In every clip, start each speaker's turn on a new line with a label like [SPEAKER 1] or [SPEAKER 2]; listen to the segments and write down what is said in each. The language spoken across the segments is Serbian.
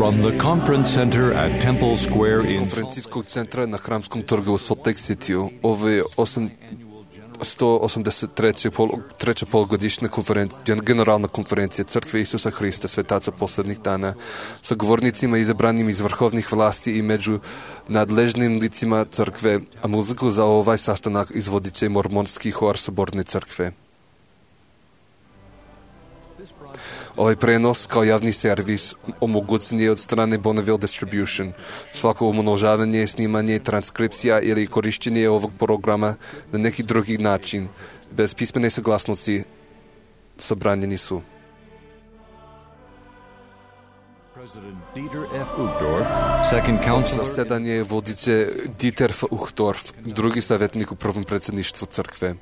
[SPEAKER 1] From the conference center at Temple Square in
[SPEAKER 2] конференцийскog центра на Храмском торгу у Солт Лейк Ситiju. Ovo je 183. polugodišnja generalna konferencija Crkve Isusa Hrista svetaca poslednjih dana sa govornicima izabranim iz vrhovnih vlasti i među nadležnim licima crkve, a muziku za ovaj sastanak izvodit će mormonski hor Soborne crkve. Ovaj prenos kao javni servis omogućen je od strane Bonneville Distribution. Svako umnožavanje, snimanje, transkripcija ili korišćenje ovog programa na neki drugi način, bez pismene saglasnosti, zabranjeni su. Zasedanje vodit će Dieter F. Uchtdorf, drugi savjetnik u prvom predsjedništvu crkve.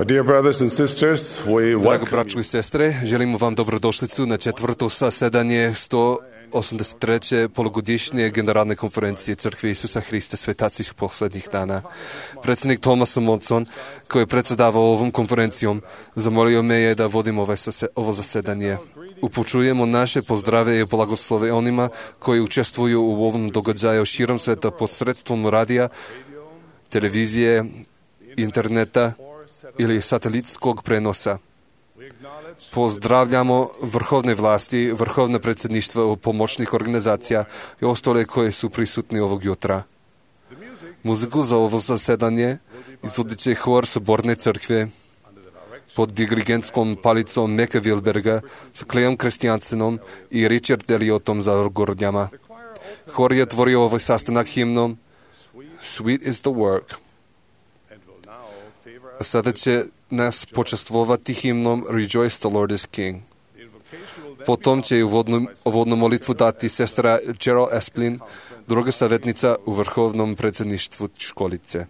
[SPEAKER 3] Dear brothers and sisters,
[SPEAKER 2] Drago braćo i sestre, želimo vam dobrodošlicu na četvrto zasedanje 183. polugodišnje generalne konferencije Crkve Isusa Hrista svetacih poslednjih dana. Predsjednik Thomas Monson, koji je predsjedavao ovom konferencijom, zamolio me je da vodim ovo zasedanje. Upućujemo naše pozdrave i blagoslove onima koji učestvuju u ovom događaju širom sveta posredstvom radija, televizije, interneta ili satelitskog prenosa. Pozdravljamo vrhovne vlasti, vrhovne predsjedništva pomoćnih organizacija i ostale koje su prisutni ovog jutra. Muziku za ovo zasedanje izvodit će hor Soborne crkve pod dirigentskom palicom Meka Wilberga s Cleom Kristiansenom i Richard Elliotom za orgordnjama. Hor je tvorio ovaj sastanak himnom Sweet is the work. A sada će nas počastvovati himnom Rejoice the Lord is King. Potom će uvodnu molitvu dati sestra Gerald Esplin, druga savjetnica u vrhovnom predsjedništvu školice.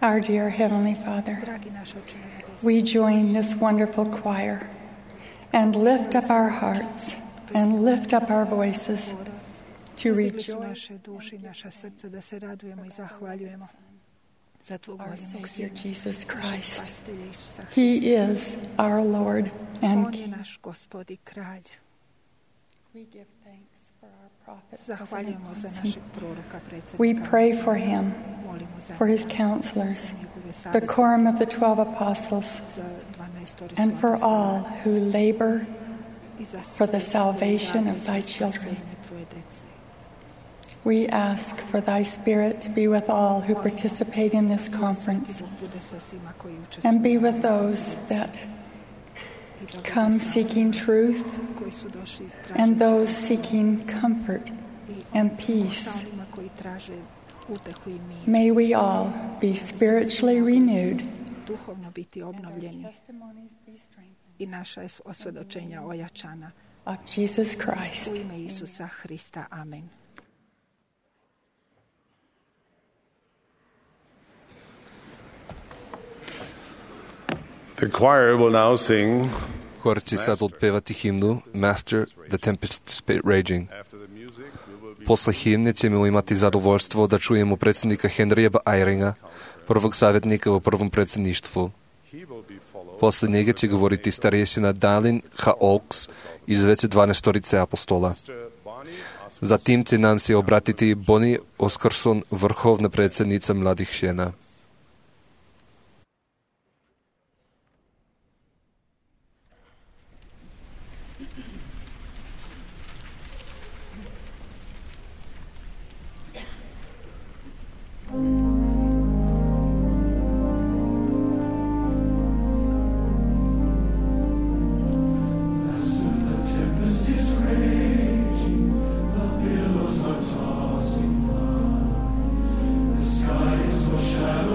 [SPEAKER 4] Our dear Heavenly Father, we join this wonderful choir and lift up our hearts and lift up our voices to
[SPEAKER 5] Uzdigli su
[SPEAKER 4] rejoice
[SPEAKER 5] naše duše i naša srca da se radujemo i zahvaljujemo za Tvog
[SPEAKER 4] our
[SPEAKER 5] voljenog
[SPEAKER 4] Savior
[SPEAKER 5] Sina,
[SPEAKER 4] Jesus
[SPEAKER 5] našeg
[SPEAKER 4] Christ.
[SPEAKER 5] spasitelja Isusa
[SPEAKER 4] He
[SPEAKER 5] Hrista.
[SPEAKER 4] is our Lord and
[SPEAKER 5] On je
[SPEAKER 4] King.
[SPEAKER 5] naš Gospod i Kralj.
[SPEAKER 4] We give thanks for our prophet, President
[SPEAKER 5] Zahvaljujemo za
[SPEAKER 4] Monson.
[SPEAKER 5] našeg proroka,
[SPEAKER 4] We
[SPEAKER 5] predsjednika.
[SPEAKER 4] pray for him,
[SPEAKER 5] Molimo za
[SPEAKER 4] for his
[SPEAKER 5] njega,
[SPEAKER 4] counselors,
[SPEAKER 5] za njegove
[SPEAKER 4] the
[SPEAKER 5] savjete,
[SPEAKER 4] quorum of the 12 apostles,
[SPEAKER 5] za 12
[SPEAKER 4] and for all who labor
[SPEAKER 5] i za
[SPEAKER 4] for the
[SPEAKER 5] sve
[SPEAKER 4] salvation
[SPEAKER 5] koji
[SPEAKER 4] of
[SPEAKER 5] rade
[SPEAKER 4] thy
[SPEAKER 5] za
[SPEAKER 4] children.
[SPEAKER 5] spasenje Tvoje dece.
[SPEAKER 4] We ask for thy Spirit to be with all who participate in this conference
[SPEAKER 5] Sveti Duh bude sa svima koji učestvuju
[SPEAKER 4] and be
[SPEAKER 5] na
[SPEAKER 4] with
[SPEAKER 5] ovoj
[SPEAKER 4] those
[SPEAKER 5] konferenciji.
[SPEAKER 4] that
[SPEAKER 5] I da bude
[SPEAKER 4] come
[SPEAKER 5] sa
[SPEAKER 4] seeking truth
[SPEAKER 5] koji su došli
[SPEAKER 4] and
[SPEAKER 5] tražeći
[SPEAKER 4] those seeking comfort
[SPEAKER 5] i
[SPEAKER 4] and peace.
[SPEAKER 5] sa onima koji traže utehu i mir.
[SPEAKER 4] May we all be spiritually renewed
[SPEAKER 5] Duhovno biti obnovljeni i naša osvjedočenja ojačana.
[SPEAKER 4] of Jesus
[SPEAKER 5] U
[SPEAKER 4] Christ.
[SPEAKER 5] ime Isusa Hrista. Amen.
[SPEAKER 3] The choir will now sing.
[SPEAKER 2] Хор će sad otpevati himnu Master, the Tempest is Raging. Posle himne ćemo imati zadovoljstvo da čujemo predsjednika Henrija Eyringa, prvog savjetnika u prvom predsjedništvu. Posle njega će govoriti starješina Dalin H. Oaks iz veće 12 apostola. Zatim će nam se obratiti Bonnie Oscarson, vrhovna predsjednica mladih žena.
[SPEAKER 6] Shadow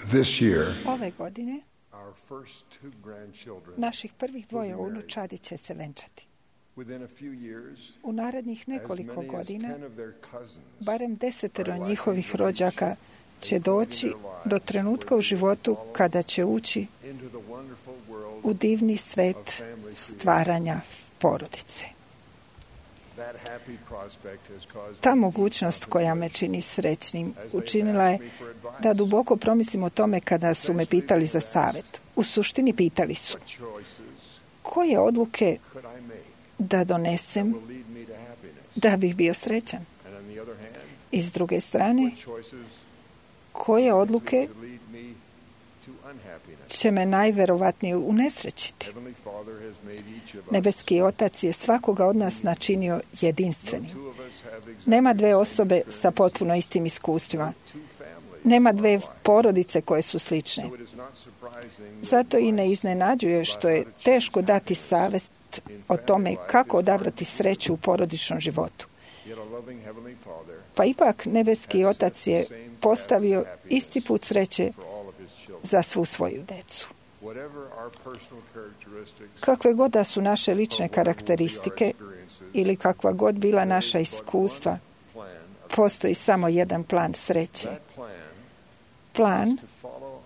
[SPEAKER 3] This year,
[SPEAKER 5] Ove godine
[SPEAKER 3] our first 2 grandchildren,
[SPEAKER 5] naših prvih 2 unučadi će se venčati.
[SPEAKER 3] within a few years,
[SPEAKER 5] U narednih
[SPEAKER 3] as
[SPEAKER 5] nekoliko
[SPEAKER 3] many as
[SPEAKER 5] godina
[SPEAKER 3] 10 of their cousins
[SPEAKER 5] barem 10 njihovih rođaka će doći do trenutka u životu kada će ući
[SPEAKER 3] into the wonderful world
[SPEAKER 5] u divni svet stvaranja porodice.
[SPEAKER 3] that happy prospect has caused
[SPEAKER 5] Ta mogućnost koja me čini srećnim učinila je da duboko promislim o tome kada su me pitali za savjet. U suštini pitali su
[SPEAKER 3] choices
[SPEAKER 5] koje odluke
[SPEAKER 3] could I make
[SPEAKER 5] da donesem
[SPEAKER 3] will lead me to happiness.
[SPEAKER 5] da bih bio srećan.
[SPEAKER 3] And on the other hand,
[SPEAKER 5] I s druge strane,
[SPEAKER 3] choices
[SPEAKER 5] koje odluke
[SPEAKER 3] to lead me to unhappiness.
[SPEAKER 5] će me najverovatnije unesrećiti.
[SPEAKER 3] Heavenly Father has made each of us.
[SPEAKER 5] Nebeski Otac je svakoga od nas načinio jedinstvenim.
[SPEAKER 3] Two of us have exactly
[SPEAKER 5] Nema
[SPEAKER 3] the
[SPEAKER 5] dve
[SPEAKER 3] same
[SPEAKER 5] osobe sa
[SPEAKER 3] experience,
[SPEAKER 5] potpuno istim iskustvima.
[SPEAKER 3] two families.
[SPEAKER 5] Nema dve porodice koje su slične.
[SPEAKER 3] So it is not surprising that
[SPEAKER 5] Zato i ne iznenađuje što je teško dati savest o tome kako odabrati sreću u porodičnom životu.
[SPEAKER 3] yet a loving Heavenly Father
[SPEAKER 5] Pa ipak Nebeski Otac je postavio isti put sreće
[SPEAKER 3] for all of His children.
[SPEAKER 5] za svu svoju decu.
[SPEAKER 3] Whatever our personal characteristics
[SPEAKER 5] Kakve god da su naše lične karakteristike ili kakva god bila naša iskustva,
[SPEAKER 3] plan,
[SPEAKER 5] postoji samo jedan plan sreće.
[SPEAKER 3] that plan
[SPEAKER 5] Plan
[SPEAKER 3] to follow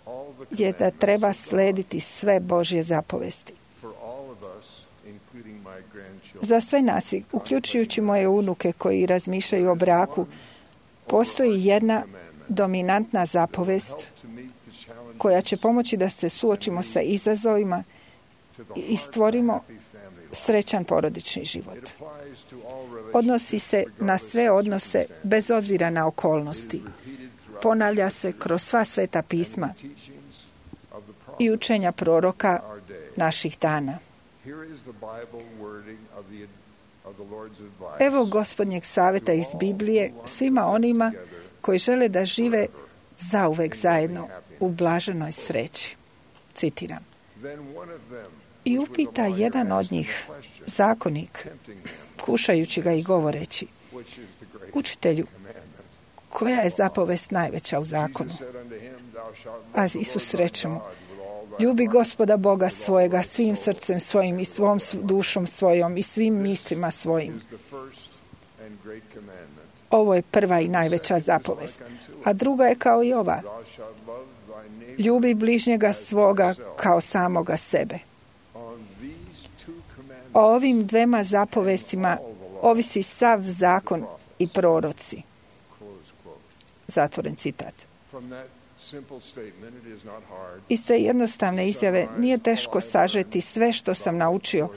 [SPEAKER 3] all the
[SPEAKER 5] je da treba slediti sve Božje zapovesti.
[SPEAKER 3] for all of us, including my grandchildren.
[SPEAKER 5] Za sve nas, uključujući moje unuke koji razmišljaju o braku, postoji jedna dominantna zapovest
[SPEAKER 3] To meet the challenge
[SPEAKER 5] koja će pomoći da se suočimo sa izazovima
[SPEAKER 3] to the
[SPEAKER 5] i stvorimo
[SPEAKER 3] happy family life.
[SPEAKER 5] srećan porodični život.
[SPEAKER 3] It applies to all relationships
[SPEAKER 5] Odnosi se na sve odnose bez obzira na okolnosti.
[SPEAKER 3] repeated throughout
[SPEAKER 5] Ponavlja se kroz sva sveta pisma
[SPEAKER 3] teachings of the prophet
[SPEAKER 5] i učenja proroka
[SPEAKER 3] our day.
[SPEAKER 5] naših dana.
[SPEAKER 3] Here is the Bible wording of the Lord's advice.
[SPEAKER 5] Evo Gospodnjeg savjeta iz Biblije svima onima koji žele da žive zauvek zajedno u blaženoj sreći. Citiram.
[SPEAKER 3] Then one of them,
[SPEAKER 5] I
[SPEAKER 3] which was
[SPEAKER 5] upita
[SPEAKER 3] a lawyer,
[SPEAKER 5] jedan od
[SPEAKER 3] asked him
[SPEAKER 5] njih,
[SPEAKER 3] a question,
[SPEAKER 5] zakonik,
[SPEAKER 3] tempting him,
[SPEAKER 5] kušajući ga i govoreći,
[SPEAKER 3] which is the great
[SPEAKER 5] učitelju,
[SPEAKER 3] commandment.
[SPEAKER 5] koja je zapovest najveća u zakonu?
[SPEAKER 3] Jesus said unto him, Thou shalt love
[SPEAKER 5] A
[SPEAKER 3] the
[SPEAKER 5] Isus
[SPEAKER 3] Lord thy
[SPEAKER 5] reče mu,
[SPEAKER 3] God with all thy
[SPEAKER 5] ljubi
[SPEAKER 3] heart,
[SPEAKER 5] Gospoda Boga svojega svim srcem svojim i svom dušom svojom i svim mislima svojim.
[SPEAKER 3] is the first and great commandment.
[SPEAKER 5] Ovo je prva i najveća zapovest. A druga je kao i ova.
[SPEAKER 3] Thou shalt love thy neighbor.
[SPEAKER 5] Ljubi bližnjega svoga kao samoga sebe.
[SPEAKER 3] On these two commandments,
[SPEAKER 5] O ovim dvema zapovestima ovisi sav zakon i proroci.
[SPEAKER 3] close quote.
[SPEAKER 5] Zatvoren citat.
[SPEAKER 3] From that simple statement, it is not hard
[SPEAKER 5] Iz te jednostavne izjave nije teško sažeti sve što sam naučio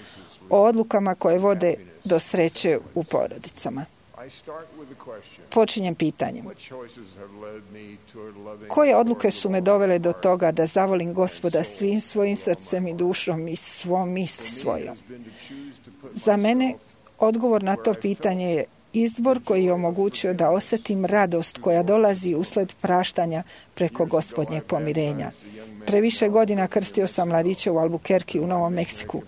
[SPEAKER 5] o odlukama koje vode do sreće u porodicama.
[SPEAKER 3] I start with the question,
[SPEAKER 5] Počinjem pitanjem.
[SPEAKER 3] what choices have led me toward loving
[SPEAKER 5] Koje
[SPEAKER 3] the
[SPEAKER 5] odluke
[SPEAKER 3] Lord
[SPEAKER 5] su
[SPEAKER 3] with
[SPEAKER 5] me
[SPEAKER 3] all
[SPEAKER 5] dovele
[SPEAKER 3] my
[SPEAKER 5] do
[SPEAKER 3] heart?
[SPEAKER 5] toga da zavolim Gospoda svim svojim srcem i dušom i svom misli
[SPEAKER 3] For me, it
[SPEAKER 5] svojom?
[SPEAKER 3] has been to choose to put
[SPEAKER 5] Za mene
[SPEAKER 3] myself
[SPEAKER 5] odgovor na to pitanje je izbor koji je omogućio da osjetim radost koja dolazi usled praštanja preko Gospodnjeg pomirenja. Pre više godina krstio sam mladića u Albuquerque u Novom Meksiku,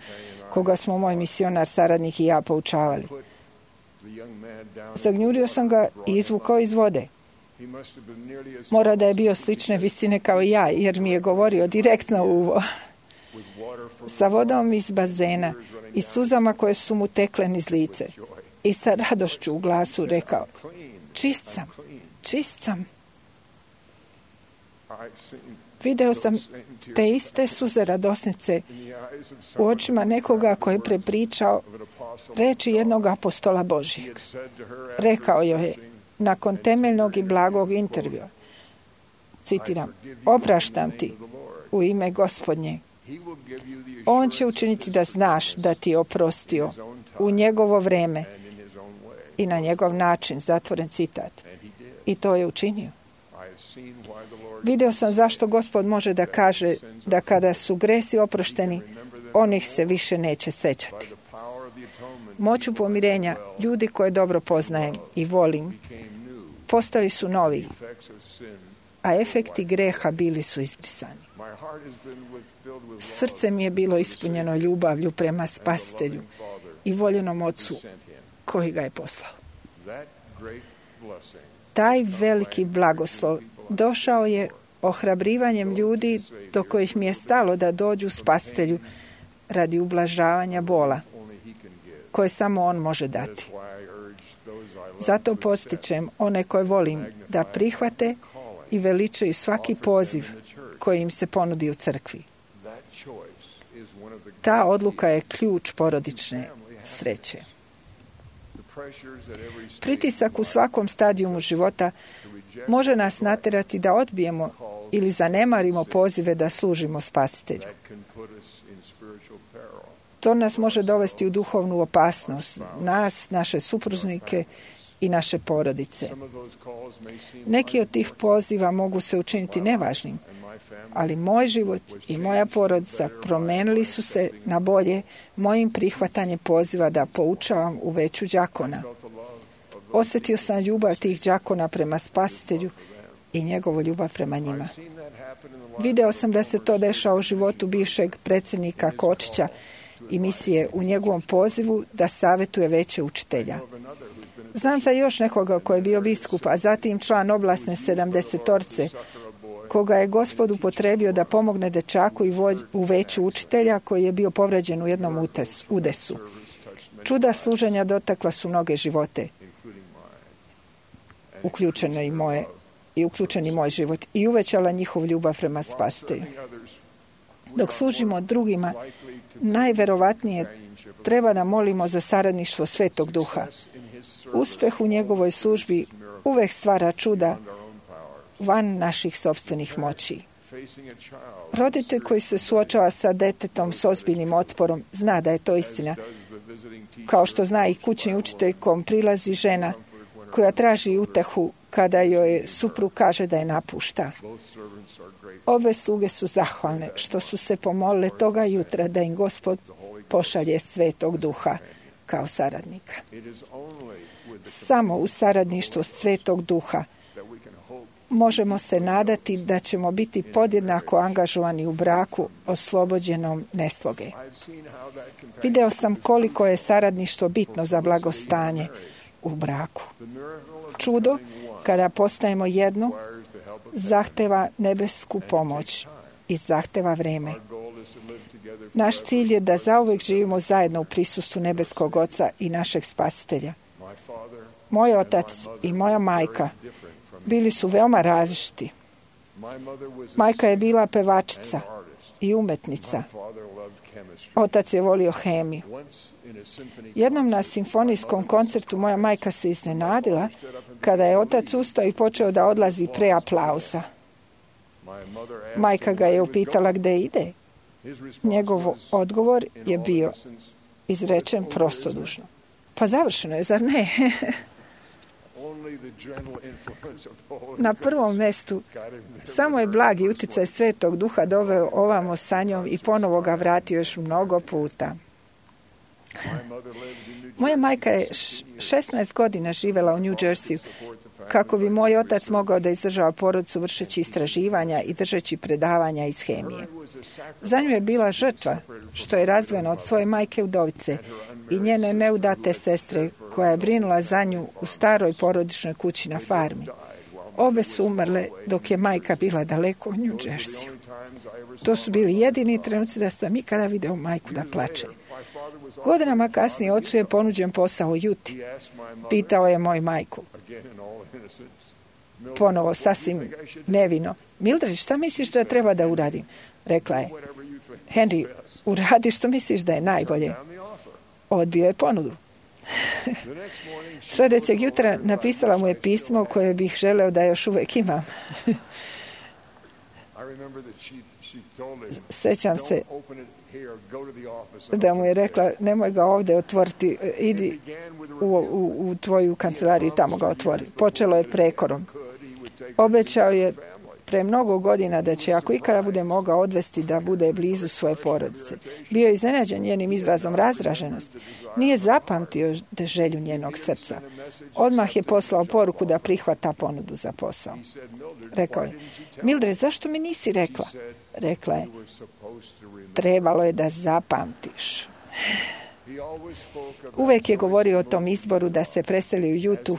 [SPEAKER 5] koga smo moj misionar, saradnik i ja poučavali.
[SPEAKER 3] the young man down.
[SPEAKER 5] Zagnjurio sam ga i izvukao iz vode.
[SPEAKER 3] He must have been nearly as
[SPEAKER 5] Mora da je bio slične visine kao i ja, jer mi je govorio direktno u uvo.
[SPEAKER 3] with water from
[SPEAKER 5] Sa vodom iz bazena i suzama koje su mu tekle niz lice. I sa radošću u glasu rekao,
[SPEAKER 3] clean.
[SPEAKER 5] čist sam, čist sam.
[SPEAKER 3] I've seen
[SPEAKER 5] Video sam te iste suze radosnice
[SPEAKER 3] in the eyes of
[SPEAKER 5] u
[SPEAKER 3] someone
[SPEAKER 5] očima nekoga koji je prepričao
[SPEAKER 3] of an apostle
[SPEAKER 5] reči jednog apostola
[SPEAKER 3] he
[SPEAKER 5] Božijeg.
[SPEAKER 3] had said to her after
[SPEAKER 5] Rekao joj je
[SPEAKER 3] searching,
[SPEAKER 5] nakon temeljnog i blagog intervjua, citiram, opraštam ti u ime Gospodnje.
[SPEAKER 3] he will give you the
[SPEAKER 5] On će
[SPEAKER 3] assurance
[SPEAKER 5] učiniti da znaš da ti je oprostio u njegovo vreme
[SPEAKER 3] and in his own way.
[SPEAKER 5] i na njegov način, zatvoren citat.
[SPEAKER 3] And he did.
[SPEAKER 5] I to je učinio.
[SPEAKER 3] I have seen why the Lord
[SPEAKER 5] Video sam zašto Gospod može da kaže da kada su gresi oprošteni, on ih se više neće sećati.
[SPEAKER 3] by the power of the atonement
[SPEAKER 5] Moću pomirenja, ljudi koje dobro poznajem i volim,
[SPEAKER 3] became new.
[SPEAKER 5] postali su novi,
[SPEAKER 3] Effects of sin.
[SPEAKER 5] a efekti greha bili su izbrisani.
[SPEAKER 3] My heart has been filled with love.
[SPEAKER 5] Srce mi je bilo ispunjeno ljubavlju prema Spasitelju
[SPEAKER 3] Father
[SPEAKER 5] i voljenom Ocu
[SPEAKER 3] sent him.
[SPEAKER 5] koji ga je poslao.
[SPEAKER 3] That great blessing
[SPEAKER 5] Taj veliki blagoslov došao je ohrabrivanjem ljudi do kojih mi je stalo da dođu spasitelju radi ublažavanja bola koje samo on može dati. Zato postičem one koje volim da prihvate i veličaju svaki poziv koji im se ponudi u crkvi. Ta odluka je ključ porodične sreće. Pritisak u svakom stadijumu života može nas natjerati da odbijemo ili zanemarimo pozive da služimo spasitelju. To nas može dovesti u duhovnu opasnost, nas, naše supružnike i naše porodice. Neki od tih poziva mogu se učiniti nevažnim, ali moj život i moja porodica promenili su se na bolje mojim prihvatanjem poziva da poučavam u veću đakona. Osjetio sam ljubav tih đakona prema spasitelju i njegovu ljubav prema njima. Video sam da se to dešava u životu bivšeg predsjednika Kočića i misije u njegovom pozivu da savjetuje veće učitelja. Znam za još nekoga koji je bio biskup, a zatim član oblasne 70-orce, koga je Gospod upotrebio da pomogne dečaku i u veću učitelja koji je bio povređen u jednom udesu. Čuda služenja dotakla su mnoge živote, uključeni moj život i uvećala njihov ljubav prema spasitelju. Dok služimo drugima, najverovatnije treba da molimo za saradništvo Svetog Duha. Uspeh u njegovoj službi uvek stvara čuda van naših sopstvenih moći. Roditelj koji se suočava sa detetom s ozbiljnim otporom zna da je to istina, kao što zna i kućni učitelj kom prilazi žena koja traži utehu kada joj suprug kaže da je napušta. Obe sluge su zahvalne što su se pomolile toga jutra da im Gospod pošalje Svetog Duha kao saradnika. Samo u saradništvu Svetog Duha možemo se nadati da ćemo biti podjednako angažovani u braku oslobođenom nesloge. Video sam koliko je saradništvo bitno za blagostanje u braku. Čudo, kada postajemo jedno, zahteva nebesku pomoć i zahteva vreme. Naš cilj je da zauvek živimo zajedno u prisustvu nebeskog Oca i našeg Spasitelja. Moj otac i moja majka bili su veoma različiti. Majka je bila pevačica i umetnica. Otac je volio hemiju. Jednom na simfonijskom koncertu moja majka se iznenadila kada je otac ustao i počeo da odlazi pre aplauza. Majka ga je upitala gde ide. Njegov odgovor je bio izrečen prostodušno. Pa završeno je, zar ne? Na prvom mestu samo je blagi uticaj Svetog Duha doveo ovamo sa njom i ponovo ga vratio još mnogo puta. Moja majka je 16 godina živjela u New Jersey kako bi moj otac mogao da izdržava porodicu vršeći istraživanja i držeći predavanja iz hemije. Za nju je bila žrtva što je razdvojena od svoje majke udovice i njene neudate sestre koja je brinula za nju u staroj porodičnoj kući na farmi. Obe su umrle dok je majka bila daleko u New Jersey. To su bili jedini trenuci da sam ikada video majku da plače. Godinama kasnije ocu je ponuđen posao u Juti. Pitao je moj majku. Ponovo, sasvim nevino. Mildred, šta misliš da treba da uradim? Rekla je. Henry, uradi što misliš da je najbolje. Odbio je ponudu. Sljedećeg jutra napisala mu je pismo koje bih želeo da još uvek imam. Sećam se da mu je rekla, nemoj ga ovdje otvoriti, idi u tvoju kancelariju, tamo ga otvori. Počelo je prekorom. Obećao je pre mnogo godina da će, ako ikada bude mogao, odvesti da bude blizu svoje porodice. Bio je iznenađen njenim izrazom razdraženosti. Nije zapamtio želju njenog srca. Odmah je poslao poruku da prihvata ponudu za posao. Rekao je, Mildred, zašto mi nisi rekla? Rekla je, trebalo je da zapamtiš. Uvek je govorio o tom izboru da se preseli u Jutu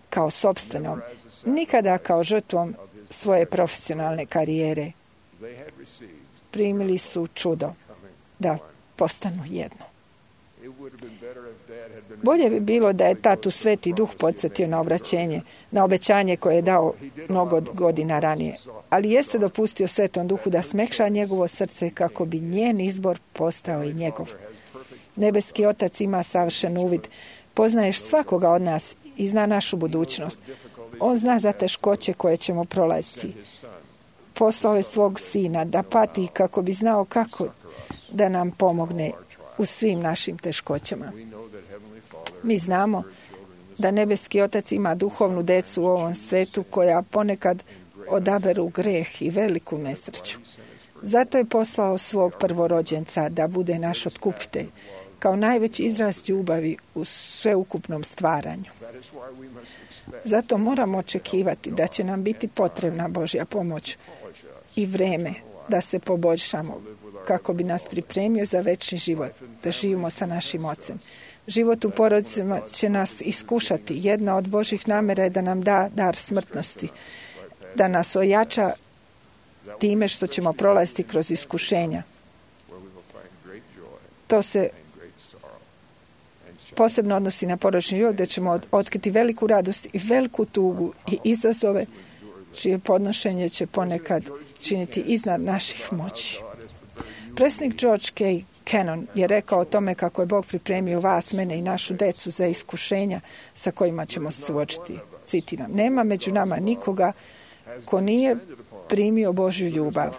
[SPEAKER 5] kao sopstvenom, nikada kao žrtvom svoje profesionalne karijere. Primili su čudo da postanu jedno. Bolje bi bilo da je tatu Sveti Duh podsjetio na obećanje koje je dao mnogo godina ranije. Ali jeste dopustio Svetom Duhu da smekša njegovo srce kako bi njen izbor postao i njegov. Nebeski Otac ima savršen uvid. Poznaješ svakoga od nas i zna našu budućnost. On zna za teškoće koje ćemo prolaziti. Poslao je svog sina da pati kako bi znao kako da nam pomogne u svim našim teškoćama. Mi znamo da Nebeski Otac ima duhovnu decu u ovom svetu koja ponekad odaberu greh i veliku nesreću. Zato je poslao svog prvorođenca da bude naš otkupitelj, kao najveći izraz ljubavi u sveukupnom stvaranju. Zato moramo očekivati da će nam biti potrebna Božja pomoć i vreme da se poboljšamo kako bi nas pripremio za večni život, da živimo sa našim Ocem. Život u porodicama će nas iskušati. Jedna od Božjih namjera je da nam da dar smrtnosti, da nas ojača time što ćemo prolaziti kroz iskušenja. To se posebno odnosi na porodični život, gdje ćemo otkriti veliku radost i veliku tugu i izazove čije podnošenje će ponekad činiti iznad naših moći. Predsjednik George K. Cannon je rekao o tome kako je Bog pripremio vas, mene i našu decu za iskušenja sa kojima ćemo se suočiti. Citiram: nema među nama nikoga ko nije primio Božju ljubav.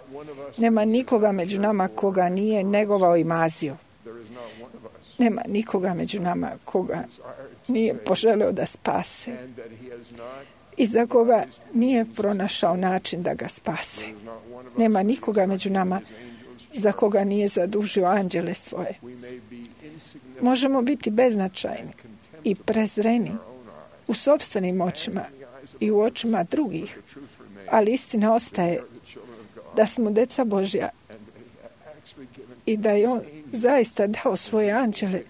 [SPEAKER 5] Nema nikoga među nama koga nije negovao i mazio. Nema nikoga među nama koga nije poželeo da spase i za koga nije pronašao način da ga spase. Nema nikoga među nama za koga nije zadužio anđele svoje. Možemo biti beznačajni i prezreni u sopstvenim očima i u očima drugih, ali istina ostaje da smo deca Božja i da je On zaista dao svoje anđele,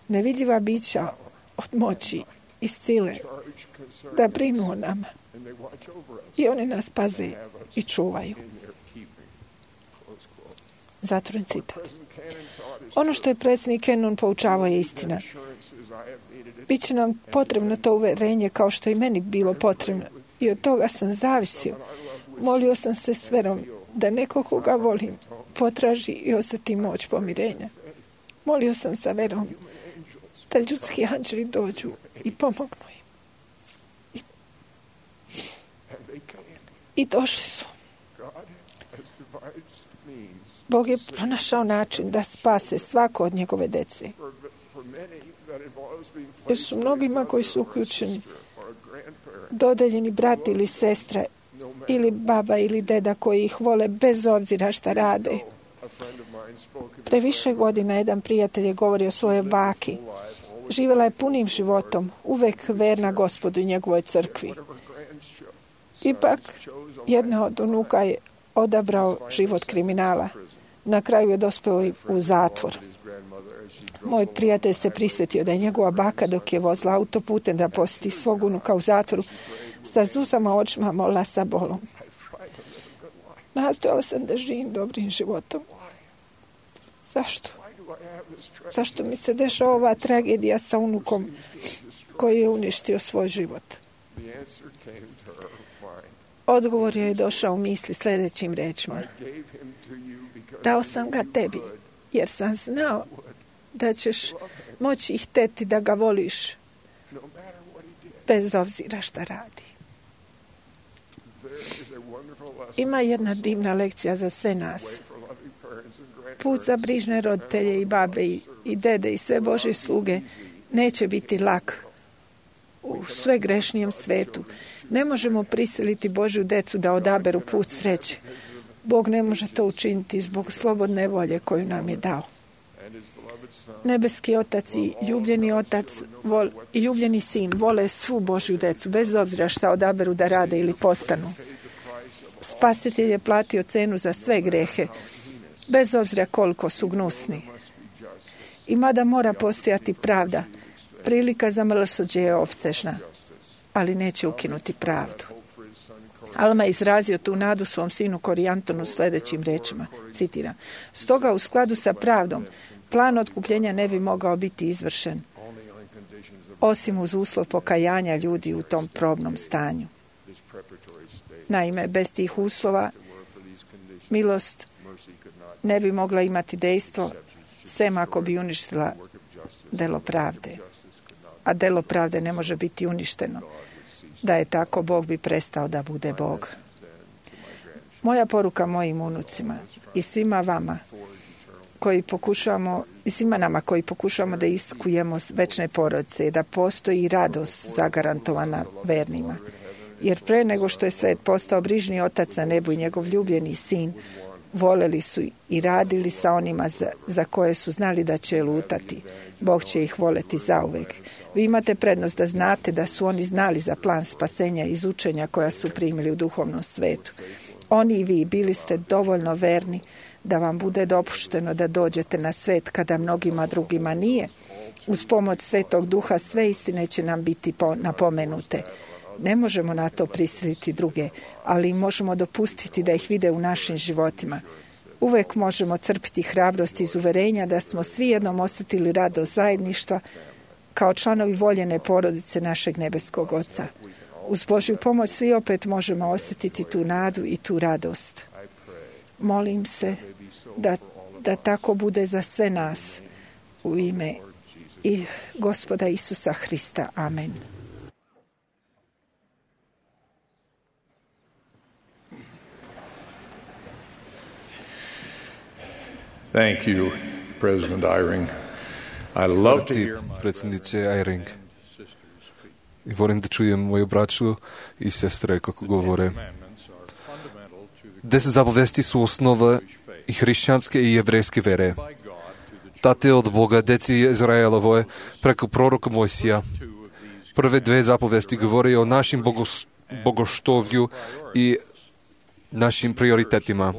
[SPEAKER 5] nevidljiva bića od moći i sile, da brinu o nama. I oni nas paze i čuvaju. Zatvoren citat. Ono što je predsjednik Cannon poučavao je istina. Biće nam potrebno to uverenje kao što i meni bilo potrebno. I od toga sam zavisio. Molio sam se s verom da neko koga volim potraži i osjeti moć pomirenja. Molio sam sa verom da ljudski anđeli dođu i pomognu im. I došli su. Bog je pronašao način da spase svako od njegove dece. Jer su mnogima koji su uključeni dodeljeni brat ili sestra ili baba ili deda koji ih vole bez obzira šta rade. Previše godina jedan prijatelj je govorio o svojoj baki. Živjela je punim životom, uvek verna Gospodu i njegovoj crkvi. Ipak, jedna od unuka je odabrao život kriminala. Na kraju je dospeo u zatvor. Moj prijatelj se prisjetio da je njegova baka dok je vozila autoputem da posjeti svog unuka u zatvoru sa zuzama očima molila sa bolom. Nastojala sam da živim dobrim životom. Zašto? Zašto mi se dešava ova tragedija sa unukom koji je uništio svoj život? Odgovor je došao u misli sljedećim rečima. Dao sam ga tebi, jer sam znao da ćeš moći ih hteti da ga voliš, bez obzira šta radi. Ima jedna divna lekcija za sve nas. Put za brižne roditelje i babe i dede i sve Božje sluge neće biti lak u sve grešnijem svetu. Ne možemo prisiliti Božju decu da odaberu put sreće. Bog ne može to učiniti zbog slobodne volje koju nam je dao. Nebeski Otac i ljubljeni Otac i ljubljeni Sin vole svu Božju decu, bez obzira šta odaberu da rade ili postanu. Spasitelj je platio cenu za sve grehe, bez obzira koliko su gnusni. I mada mora postojati pravda, prilika za milosrđe je opsežna, ali neće ukinuti pravdu. Alma je izrazio tu nadu svom sinu Korijantonu sljedećim rečima, citiram: "Stoga u skladu sa pravdom, plan otkupljenja ne bi mogao biti izvršen, osim uz uslov pokajanja ljudi u tom probnom stanju. Naime, bez tih uslova milost ne bi mogla imati dejstvo, sem ako bi uništila delo pravde. A delo pravde ne može biti uništeno. Da je tako, Bog bi prestao da bude Bog." Moja poruka mojim unucima i svima vama koji pokušamo, i svima nama koji pokušamo da iskujemo večne porodice, je da postoji radost zagarantovana vernima. Jer pre nego što je svet postao brižni otac na nebu i njegov ljubljeni sin, voleli su i radili sa onima za koje su znali da će lutati. Bog će ih voleti zauvek. Vi imate prednost da znate da su oni znali za plan spasenja iz učenja koja su primili u duhovnom svetu. Oni i vi bili ste dovoljno verni da vam bude dopušteno da dođete na svet kada mnogima drugima nije. Uz pomoć Svetog Duha sve istine će nam biti napomenute. Ne možemo na to prisiliti druge, ali možemo dopustiti da ih vide u našim životima. Uvek možemo crpiti hrabrost iz uverenja da smo svi jednom osjetili radost zajedništva kao članovi voljene porodice našeg nebeskog Oca. Uz Božju pomoć svi opet možemo osjetiti tu nadu i tu radost. Molim se da tako bude za sve nas u ime i Gospoda Isusa Hrista. Amen.
[SPEAKER 6] Thank you, President Eyring. I love to hear my
[SPEAKER 2] predsjedniče Eyring. I volim da čujem moju braću i sestre kako govore. 10 zapovesti su osnova i hrišćanske i jevrejske vere. Date od Boga deci Izraelovoj preko proroka Mojsija. Prve 2 zapovesti govore o našim bogoštovlju i našim prioritetima.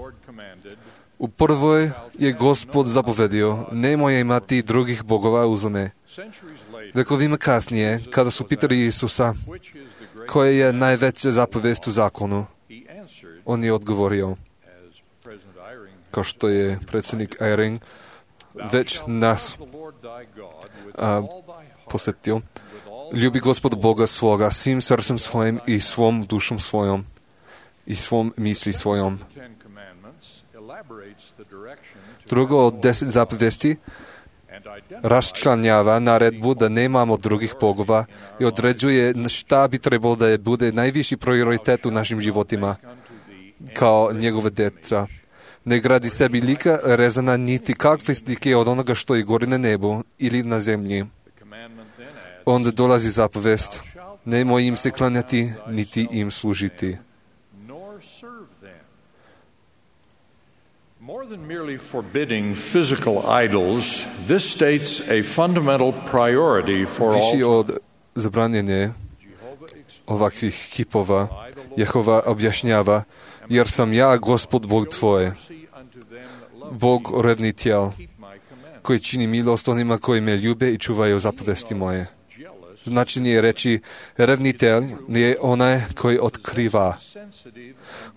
[SPEAKER 2] U prvoj je Gospod zapovedio: nemoj imati drugih bogova uz me. Vekovima kasnije, kada su pitali Isusa koja je najveća zapovest u zakonu, on je odgovorio, kao što je predsjednik Eyring već nas posjetio: ljubi Gospoda Boga svoga svim srcem svojim i svom dušom svojom i svom misli svojom. Drugo od 10 zapovesti raščlanjava naredbu da nemamo drugih bogova i određuje šta bi trebalo da je bude najviši prioritet u našim životima kao njegove djeca. Ne gradi sebi lika rezana niti kakve slike od onoga što je gori na nebu ili na zemlji. Onda dolazi zapovest: nemoj im se klanjati niti im služiti.
[SPEAKER 6] More than merely forbidding physical idols, this states a fundamental priority for all.
[SPEAKER 2] Više od zabranjenja ovakvih kipova Jehova objašnjava: jer sam ja Gospod Bog tvoj, Bog revnitelj, koji čini milost onima koji me ljube i čuvaju zapovesti moje. Značenje je reći revnitelj je onaj koji otkriva.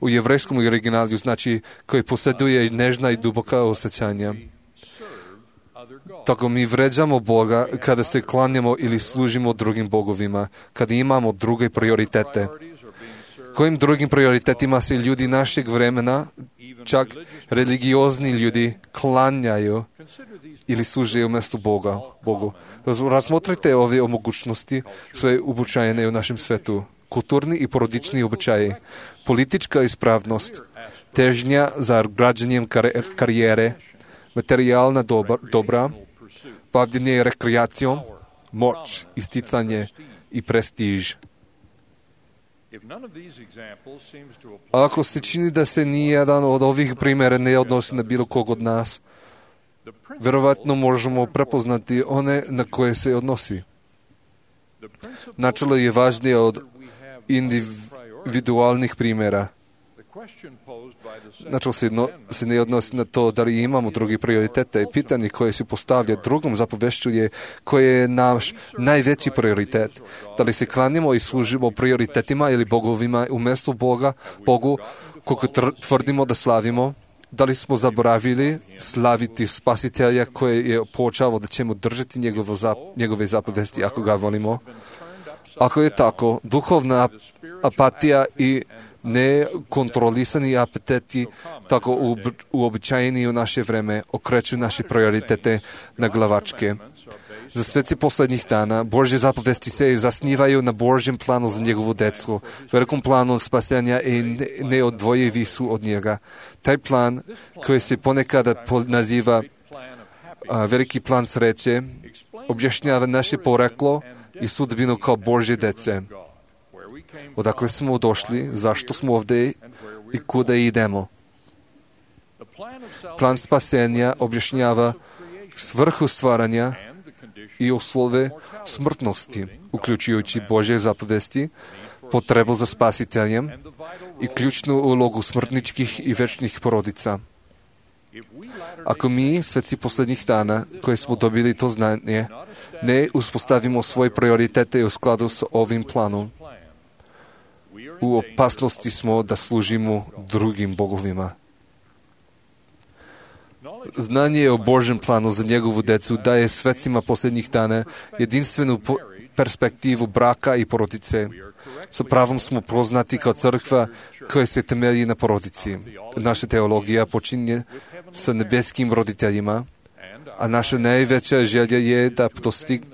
[SPEAKER 2] U jevrejskom originalu znači koji posjeduje nežna i duboka osjećanja. Tako mi vređamo Boga kada se klanjamo ili služimo drugim bogovima, kada imamo druge prioritete. Kojim drugim prioritetima se ljudi našeg vremena, čak religiozni ljudi, klanjaju ili služe umjesto Bogu? Razmotrite ove mogućnosti, sve uobičajene u našem svetu. Kulturni i porodični običaji, politička ispravnost, težnja za građenjem karijere, materijalna dobra, bavljenje rekreacijom, moć, isticanje i prestiž. Ako se čini da se nijedan od ovih primjera ne odnosi na bilo kog od nas, vjerovatno možemo prepoznati one na koje se odnosi. Načelo je važnije od individualnih primjera. Načal se ne odnosi na to da li imamo drugi prioritete. Pitanje koje se postavlja drugom zapovešću je koji je naš najveći prioritet. Da li se klanjamo i služimo prioritetima ili bogovima umjesto Bogu koliko tvrdimo da slavimo? Da li smo zaboravili slaviti Spasitelja koji je počeo da ćemo držati njegove zapovesti ako ga volimo? Ako je tako, duhovna apatija i nekontrolisani apetiti tako uobičajeni u naše vreme okreću naše prioritete na glavačke. Za sveci posljednjih dana Božje zapovesti se zasnivaju na Božjem planu za njegovu decu, velikom planu spasenja i neodvojivi su od njega. Taj plan koji se ponekada naziva veliki plan sreće objašnjava naše poreklo i sudbinu kao Božje dece. Odakle smo došli, zašto smo ovdje i kuda idemo. Plan spasenja objašnjava svrhu stvaranja i uslove smrtnosti, uključujući Božje zapovesti, potrebu za spasiteljem i ključnu ulogu smrtničkih i večnih porodica. Ako mi, sveci posljednjih dana, koji smo dobili to znanje, ne uspostavimo svoje prioritete u skladu s ovim planom, u opasnosti smo da služimo drugim bogovima. Znanje o Božjem planu za njegovu decu daje svecima posljednjih dana jedinstvenu perspektivu braka i porodice. Sa pravom smo poznati kao crkva koja se temelji na porodici. Naša teologija počinje sa nebeskim roditeljima, a naša najveća želja je da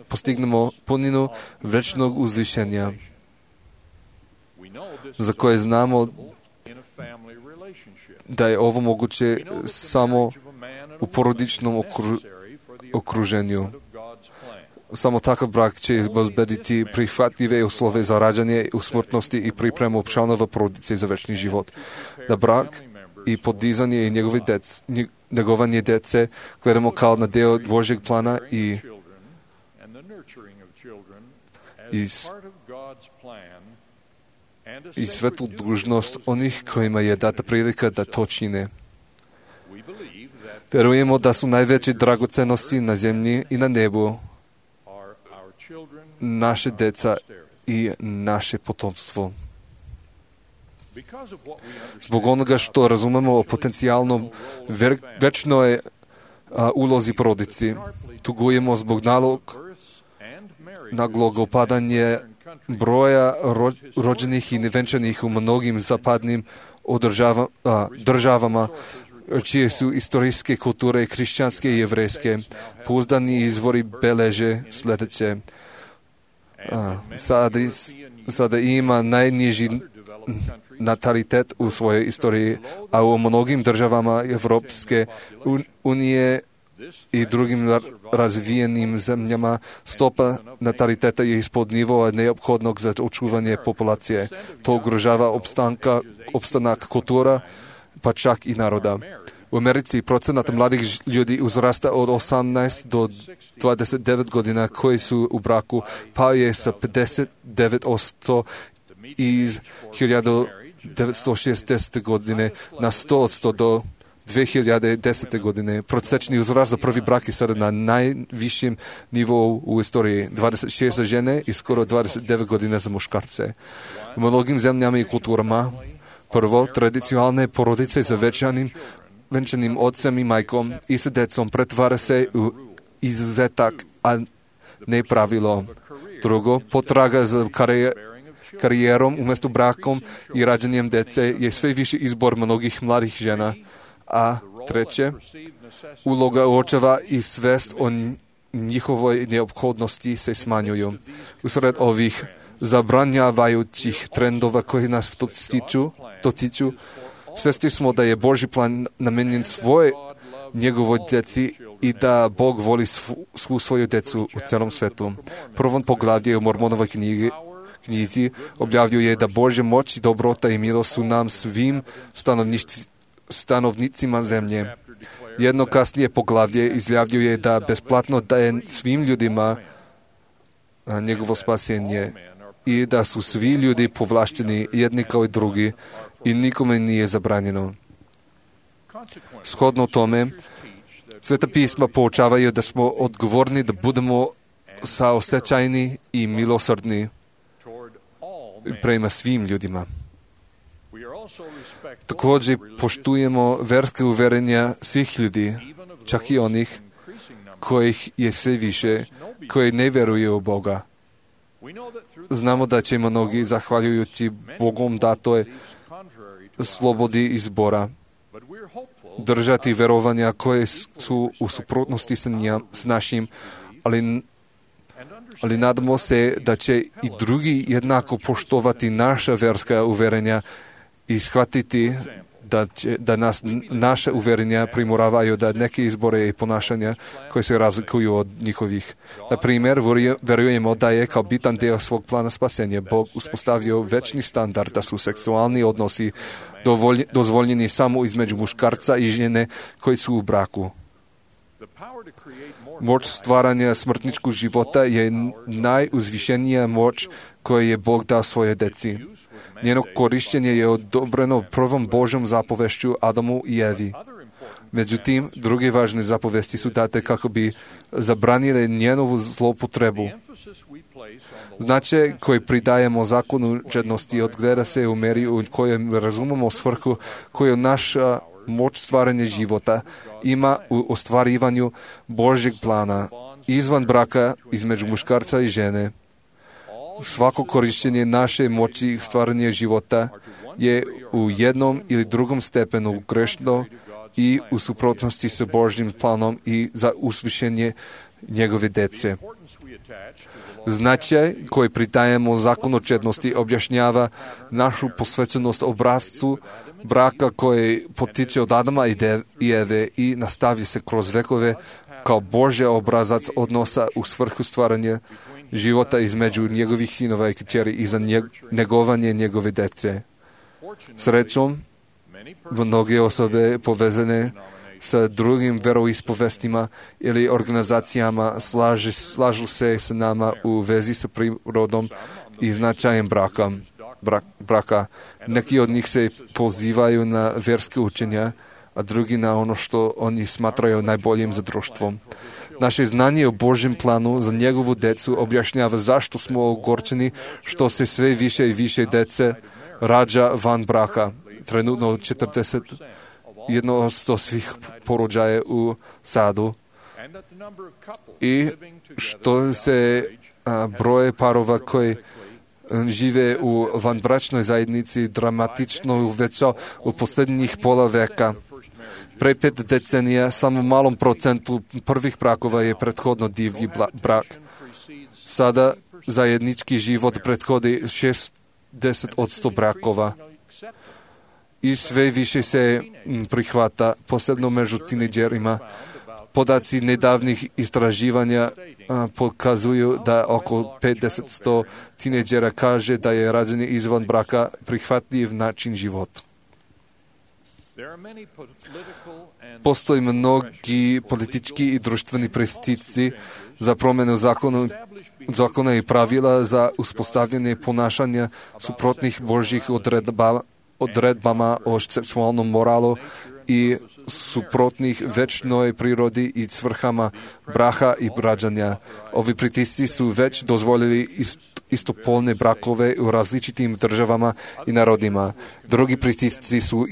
[SPEAKER 2] postignemo puninu večnog uzvišenja, za koje znamo da je ovo moguće samo u porodičnom okruženju. Samo takav brak će izbezbediti prihvatljive uslove za rađanje u smrtnosti i pripremu članova porodice za večni život. Da brak i podizanje i njegovanje dece gledamo kao na deo Božjeg plana i svetu dužnost onih kojima je data prilika da to čine. Verujemo da su najveće dragocenosti na zemlji i na nebu naše deca i naše potomstvo. Zbog onoga što razumemo o potencijalnom večnoj ulozi porodici, tugujemo zbog naglog opadanja broja rođenih i nevenčanih u mnogim zapadnim državama, čije su istorijske kulture hrišćanske i jevrejske. Pouzdani izvori beleže sljedeće. Sada ima najniži natalitet u svojoj istoriji, a u mnogim državama Evropske unije i drugim razvijenim zemljama stopa nataliteta je ispod nivoa neophodnog za očuvanje populacije. To ugrožava opstanak kultura, pa čak i naroda. U Americi procenat mladih ljudi uzrasta od 18 do 29 godina koji su u braku, pa je sa 59% iz 1960. godine na 100% do 2010. godine. Prosječni uzrast za prvi brak je sada na najvišem nivou u istoriji. 26 za žene i skoro 29 godina za muškarce. U mnogim zemljama i kulturama prvo, tradicionalne porodice sa venčanim ocem i majkom i sa decom pretvara se u izuzetak, a ne pravilo. Drugo, potraga za karijerom umjesto brakom i rađanjem dece je sve više izbor mnogih mladih žena. A treće, uloga očeva i svest o njihovoj neophodnosti se smanjuju. Usred ovih zabranjavajućih trendova koji nas dotiču, svjesni smo da je Božji plan namenjen njegovoj djeci i da Bog voli svu svoju djecu u celom svetu. Prvom poglavlje u Mormonovoj knjizi objavljuje da Božja moć i dobrota i milost su nam svim stanovnicima zemlje. Jedno kasnije poglavlje izjavljuje da besplatno daje svim ljudima njegovo spasenje i da su svi ljudi povlašteni jedni kao i drugi i nikome nije zabranjeno. Shodno tome, Sveta pisma poučavaju da smo odgovorni da budemo saosećajni i milosrdni prema svim ljudima. Također poštujemo verske uverenja svih ljudi, čak i onih kojih je sve više, koji ne vjeruju u Boga. Znamo da će mnogi, zahvaljujući Bogom datoj slobodi izbora, držati verovanja koje su u suprotnosti s našim, ali nadamo se da će i drugi jednako poštovati naša verska uverenja i shvatiti da nas naše uverenja primoravaju da neke izbore i ponašanja koje se razlikuju od njihovih. Na primjer, verujemo da je kao bitan dio svog plana spasenja Bog uspostavio večni standard da su seksualni odnosi dozvoljeni samo između muškarca i žene koji su u braku. Moć stvaranja smrtničkog života je najuzvišenija moć koju je Bog dao svoje deci. Njeno korištenje je odobreno prvom Božjom zapovešću Adamu i Evi. Međutim, druge važne zapovesti su date kako bi zabranile njenovu zloupotrebu. Značaj koji pridajemo zakonu čednosti odgleda se u meri u kojoj razumemo svrhu koju naša moć stvaranja života ima u ostvarivanju Božjeg plana izvan braka između muškarca i žene. Svako korištenje naše moći stvaranja života je u jednom ili drugom stepenu grešno i u suprotnosti sa Božjim planom i za usvišenje njegove dece. Značaj koji pridajemo zakonu čednosti objašnjava našu posvećenost obrazcu braka koji potiče od Adama i Eve i nastavi se kroz vekove kao Božji obrazac odnosa u svrhu stvaranja života između njegovih sinova i kćeri i za njegovanje njegove dece. Srećom, mnoge osobe povezane sa drugim veroispovestima ili organizacijama slažu se s nama u vezi sa prirodom i značajem braka. Neki od njih se pozivaju na vjerske učenja, a drugi na ono što oni smatraju najboljim za društvom. Naše znanje o Božjem planu za njegovu decu objašnjava zašto smo ogorčeni što se sve više i više dece rađa van braka. Trenutno 41% svih porođaja u Sadu. I što se broje parova koji žive u vanbračnoj zajednici dramatično uvećao u posljednjih pola veka. Pre 5 decenija samo malom procentu prvih brakova je prethodno divlji brak. Sada zajednički život prethodi 60% brakova. I sve više se prihvata, posebno među tineđerima. Podaci nedavnih istraživanja pokazuju da oko 50% tineđera kaže da je rađenje izvan braka prihvatljiv način života. Postoji mnogi politički i društveni pritisci za promjenu zakona i pravila za uspostavljanje ponašanja suprotnih Božjih odredbama o seksualnom moralu i suprotnih večnoj prirodi i svrhama braha i rađanja. Ovi pritisci su već dozvolili istopolne brakove u različitim državama i narodima. Drugi pritisci su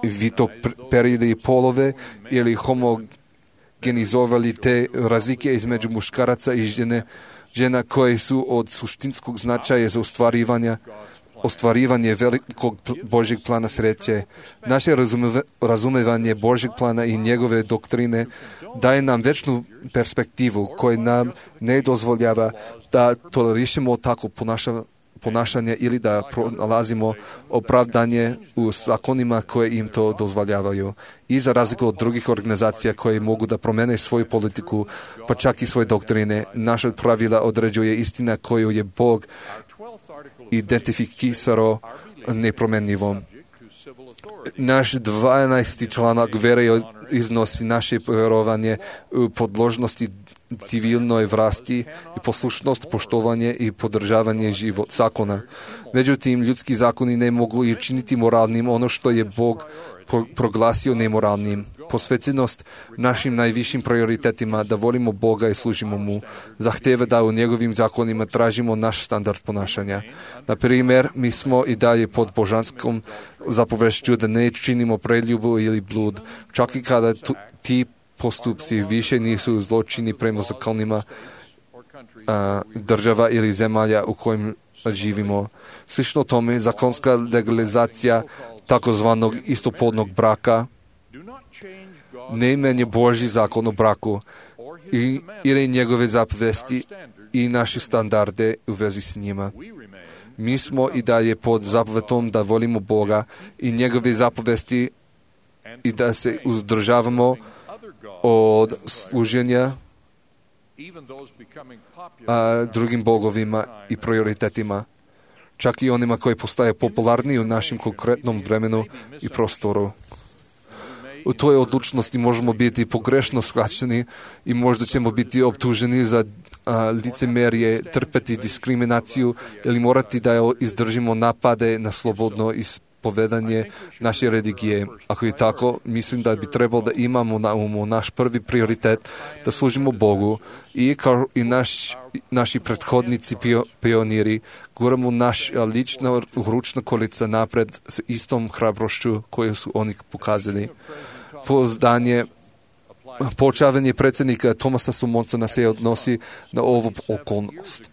[SPEAKER 2] vitoperili polove ili homogenizovali te razlike između muškaraca i žena koje su od suštinskog značaja za ostvarivanje velikog Božjeg plana sreće. Naše razumevanje Božjeg plana i njegove doktrine daje nam večnu perspektivu koja nam ne dozvoljava da tolerišemo tako ponašanje ili da pronalazimo opravdanje u zakonima koje im to dozvoljavaju. I za razliku od drugih organizacija koje mogu da promene svoju politiku, pa čak i svoje doktrine, naša pravila određuje istina koju je Bog identifikisao nepromjenjivom. Naš 12. članak vere iznosi naše vjerovanje u podložnosti civilnoj vlasti i poslušnost, poštovanje i podržavanje zakona. Međutim, ljudski zakoni ne mogu i činiti moralnim ono što je Bog proglasio nemoralnim. Posvećenost našim najvišim prioritetima, da volimo Boga i služimo Mu, zahteva da u njegovim zakonima tražimo naš standard ponašanja. Na primjer, mi smo i dalje pod božanskom zapovešću da ne činimo preljubu ili blud, čak i kada ti postupci više nisu zločini prema zakonima država ili zemalja u kojim živimo. Slično tome, zakonska legalizacija takozvanog istopolnog braka ne menja Božji zakon o braku ili njegove zapovesti i naše standarde u vezi s njima. Mi smo i dalje pod zapovetom da volimo Boga i njegove zapovesti i da se uzdržavamo od služenja drugim bogovima i prioritetima, čak i onima koji postaje popularni u našem konkretnom vremenu i prostoru. U toj odlučnosti možemo biti pogrešno shvaćeni i možda ćemo biti optuženi za licemerje, trpeti diskriminaciju ili morati da izdržimo napade na slobodno ispovedanje naše religije. Ako je tako, mislim da bi trebalo da imamo na umu naš prvi prioritet, da služimo Bogu i kao i naši prethodnici pioniri guramo naša lična ručna kolica napred s istom hrabrošću koju su oni pokazali. Poučavanje predsjednika Thomasa Sumonsona se odnosi na ovu okolnost.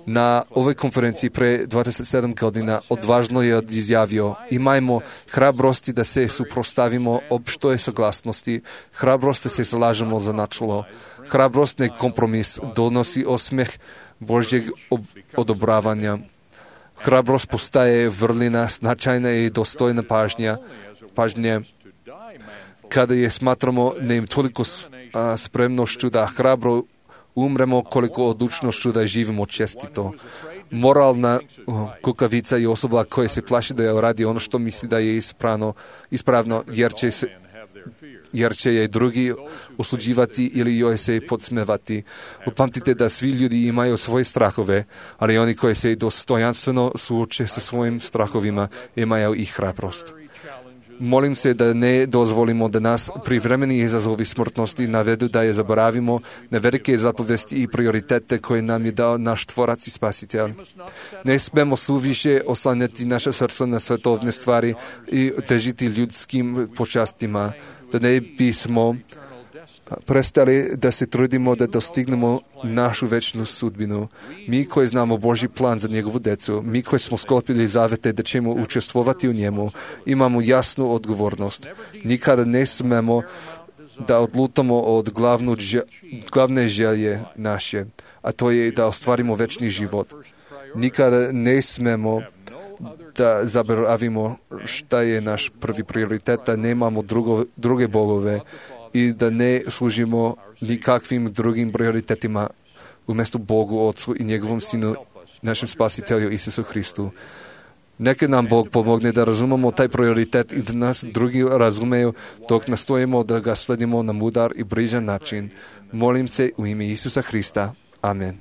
[SPEAKER 2] Na ovoj konferenciji pre 27 godina odvažno je izjavio: imajmo hrabrosti da se suprostavimo opštoj saglasnosti, hrabrost da se zalažemo za načelo. Hrabrost ne kompromis, donosi osmeh Božjeg odobravanja. Hrabrost postaje vrlina, značajna i dostojna pažnje kada je smatramo ne im toliko spremnošću da hrabro umremo, koliko odlučnošću da živimo čestito. Moralna kukavica je osoba koja se plaši da radi ono što misli da je ispravno jer će je drugi osuđivati ili joj se podsmevati. Upamtite da svi ljudi imaju svoje strahove, ali oni koji se dostojanstveno suoče sa svojim strahovima imaju i hrabrost. Molim se da ne dozvolimo da nas privremeni izazovi smrtnosti navedu da je zaboravimo na velike zapovesti i prioritete koje nam je dao naš Tvorac i Spasitelj. Ne smemo suviše oslanjati naše srce na svetovne stvari i težiti ljudskim počastima, da ne bismo prestali da se trudimo da dostignemo našu večnu sudbinu. Mi koji znamo Božji plan za njegovu decu, mi koji smo sklopili zavete da ćemo učestvovati u njemu, imamo jasnu odgovornost. Nikada ne smemo da odlutamo od glavne želje naše, a to je da ostvarimo večni život. Nikada ne smemo da zaboravimo šta je naš prvi prioritet, da nemamo druge bogove i da ne služimo nikakvim drugim prioritetima umjesto Bogu, Otcu i njegovom Sinu, našem Spasitelju Isusu Hristu. Neka nam Bog pomogne da razumemo taj prioritet i da nas drugi razumeju dok nastojimo da ga sledimo na mudar i brižan način. Molim se u ime Isusa Hrista. Amen.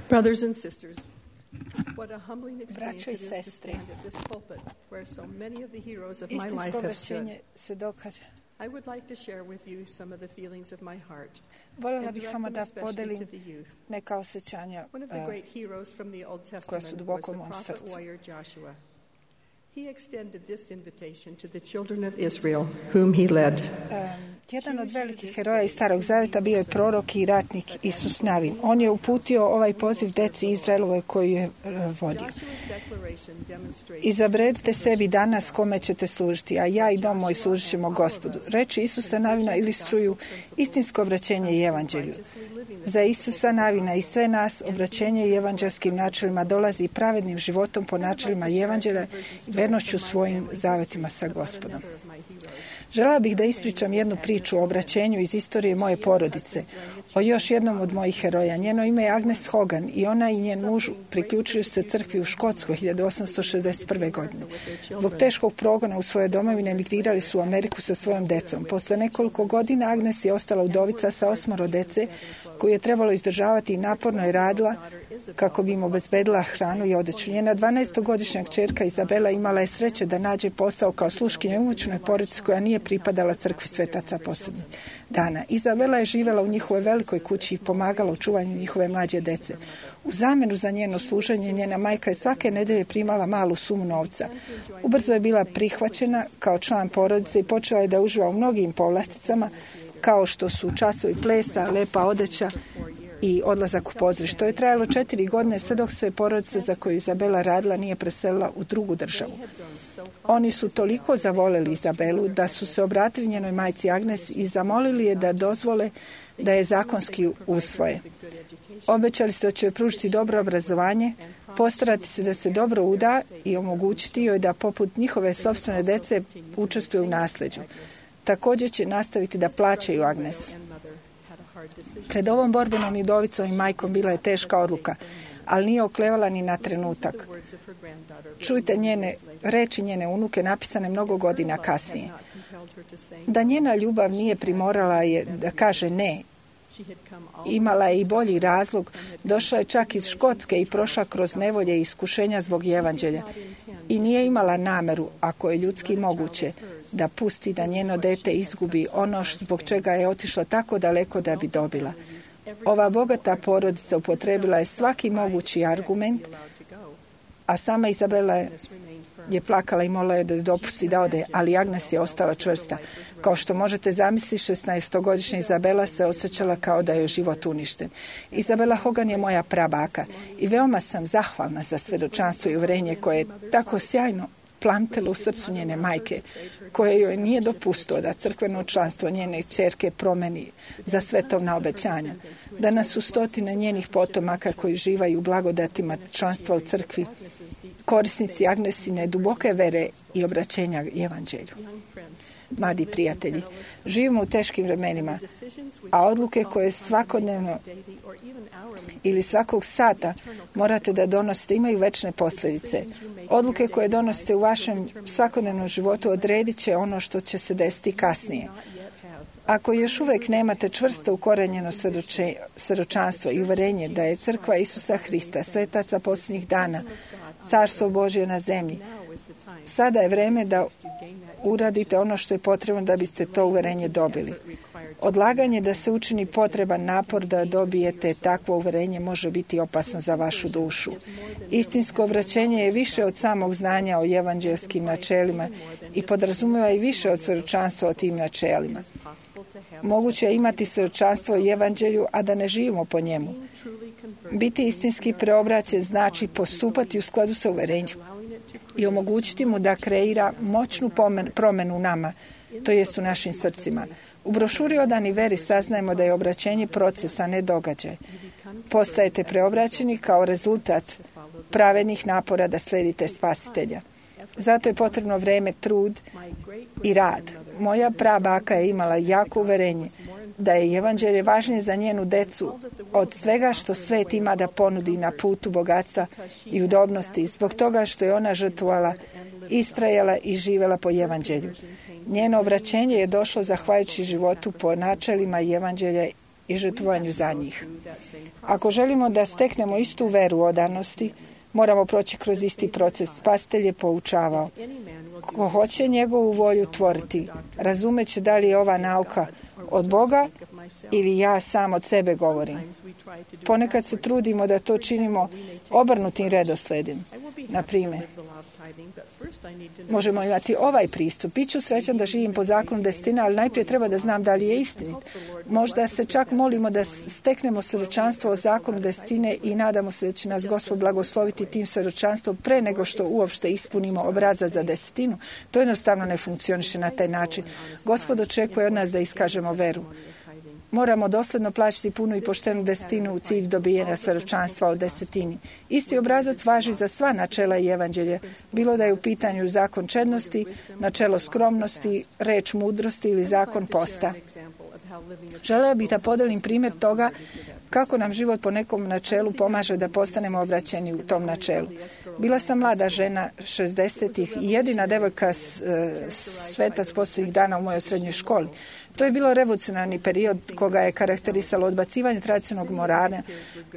[SPEAKER 7] Brothers and sisters, what a humbling experience it is to stand at this pulpit where so many of the heroes of my life have stood. I would like to share with you some of the feelings of my heart
[SPEAKER 5] Voljela
[SPEAKER 7] and
[SPEAKER 5] bih
[SPEAKER 7] direct
[SPEAKER 5] samo
[SPEAKER 7] them
[SPEAKER 5] da
[SPEAKER 7] especially
[SPEAKER 5] podelim
[SPEAKER 7] to the youth.
[SPEAKER 5] neka osjećanja
[SPEAKER 7] One of the great heroes from the Old
[SPEAKER 5] koja su
[SPEAKER 7] Testament was
[SPEAKER 5] duboko
[SPEAKER 7] the
[SPEAKER 5] u mom
[SPEAKER 7] prophet
[SPEAKER 5] srcu.
[SPEAKER 7] warrior Joshua. He extended this invitation to the children of Israel, whom he led.
[SPEAKER 5] Jedan od velikih heroja iz Starog Zaveta bio je prorok i ratnik Isus Navin. On je uputio ovaj poziv deci Izraelove koju je vodio. Izabredite sebi danas kome ćete služiti, a ja i dom moj služit ćemo Gospodu. Reči Isusa Navina ilustruju istinsko obraćenje i evanđelju. Za Isusa Navina i sve nas obraćenje i evanđelskim načelima dolazi pravednim životom po načelima i evanđelja i vernošću svojim zavetima sa Gospodom. Željela bih da ispričam jednu priču o obraćenju iz istorije moje porodice, o još jednom od mojih heroja. Njeno ime je Agnes Hogan i ona i njen muž priključili su se crkvi u Škotskoj 1861. godine. Zbog teškog progona u svoje domovine emigrirali su u Ameriku sa svojom decom. Posle nekoliko godina Agnes je ostala udovica sa 8 dece koju je trebalo izdržavati i naporno je radila kako bi im obezbedila hranu i odeću. Njena 12-godišnja kćerka Izabela imala je sreće da nađe posao kao sluškinja u imućnoj porodici koja nije pripadala crkvi Svetaca posljednjih dana. Izabela je živjela u njihovoj velikoj kući i pomagala u čuvanju njihove mlađe dece. U zamjenu za njeno služenje njena majka je svake nedelje primala malu sumu novca. Ubrzo je bila prihvaćena kao član porodice i počela je da uživa u mnogim povlasticama kao što su časovi plesa, lepa odeća i odlazak u pozorište. To je trajalo 4 godine sve dok se porodica za koju Izabela radila nije preselila u drugu državu. Oni su toliko zavoleli Izabelu da su se obratili njenoj majci Agnes i zamolili je da dozvole da je zakonski usvoje. Obećali se da će joj pružiti dobro obrazovanje, postarati se da se dobro uda i omogućiti joj da poput njihove sopstvene dece učestvuje u nasljeđu. Također će nastaviti da plaćaju Agnes. Pred ovom borbenom udovicom i majkom bila je teška odluka, ali nije oklevala ni na trenutak. Čujte reči njene unuke napisane mnogo godina kasnije. Da njena ljubav nije primorala je da kaže ne. Imala je i bolji razlog, došla je čak iz Škotske i prošla kroz nevolje i iskušenja zbog evanđelja. I nije imala nameru, ako je ljudski moguće, da pusti da njeno dete izgubi ono zbog čega je otišla tako daleko da bi dobila. Ova bogata porodica upotrebila je svaki mogući argument, a sama Izabela je plakala i molila je da dopusti da ode, ali Agnes je ostala čvrsta. Kao što možete zamisliti, 16-godišnja Izabela se osjećala kao da je život uništen. Izabela Hogan je moja prabaka i veoma sam zahvalna za svjedočanstvo i uvjerenje koje je tako sjajno plamtelo u srcu njene majke, koje joj nije dopustilo da crkveno članstvo njene kćerke promeni za svetovna obećanja. Danas su stotine njenih potomaka koji živaju u blagodatima članstva u crkvi, korisnici Agnesine duboke vere i obraćenja evanđelju. Mladi prijatelji, živimo u teškim vremenima, a odluke koje svakodnevno ili svakog sata morate da donosite imaju večne posljedice. Odluke koje donosite u vašem svakodnevnom životu odredit će ono što će se desiti kasnije. Ako još uvijek nemate čvrsto ukorenjeno svjedočanstvo i uvjerenje da je crkva Isusa Hrista, svetaca posljednjih dana, carstvo Božje na zemlji, sada je vrijeme da uradite ono što je potrebno da biste to uvjerenje dobili. Odlaganje da se učini potreban napor da dobijete takvo uvjerenje može biti opasno za vašu dušu. Istinsko obraćenje je više od samog znanja o evanđelskim načelima i podrazumijeva i više od svjedočanstva o tim načelima. Moguće je imati svjedočanstvo o evanđelju, a da ne živimo po njemu. Biti istinski preobraćen znači postupati u skladu sa uvjerenjem i omogućiti mu da kreira moćnu promjenu u nama, to jest u našim srcima. U brošuri Odani veri saznajemo da je obraćenje procesa, ne događaj. Postajete preobraćeni kao rezultat pravednih napora da sledite Spasitelja. Zato je potrebno vrijeme, trud i rad. Moja prabaka je imala jako uvjerenje da je evanđelje važnije za njenu decu od svega što svet ima da ponudi na putu bogatstva i udobnosti, zbog toga što je ona žrtvovala, istrajala i živjela po evanđelju. Njeno obraćenje je došlo zahvaljujući životu po načelima evanđelja i žrtvovanju za njih. Ako želimo da steknemo istu veru odanosti, moramo proći kroz isti proces. Spasitelj je poučavao. Ko hoće njegovu volju tvoriti, razumeće da li je ova nauka od Boga ili ja sam od sebe govorim. Ponekad se trudimo da to činimo obrnutim redosledom. Na primjer, možemo imati ovaj pristup. Biću srećan da živim po zakonu desetine, ali najprije treba da znam da li je istinit. Možda se čak molimo da steknemo svjedočanstvo o zakonu desetine i nadamo se da će nas Gospod blagosloviti tim svjedočanstvom pre nego što uopšte ispunimo obrazac za desetinu. To jednostavno ne funkcioniše na taj način. Gospod očekuje od nas da iskažemo veru. Moramo dosljedno plaćati punu i poštenu desetinu u cilj dobijanja svjedočanstva o desetini. Isti obrazac važi za sva načela i evanđelje, bilo da je u pitanju zakon čednosti, načelo skromnosti, reč mudrosti ili zakon posta. Želeo bih da podelim primjer toga kako nam život po nekom načelu pomaže da postanemo obraćeni u tom načelu. Bila sam mlada žena 60-ih i jedina devojka svetac posljednjih dana u mojoj srednjoj školi. To je bilo revolucionarni period koga je karakterisalo odbacivanje tradicionalnog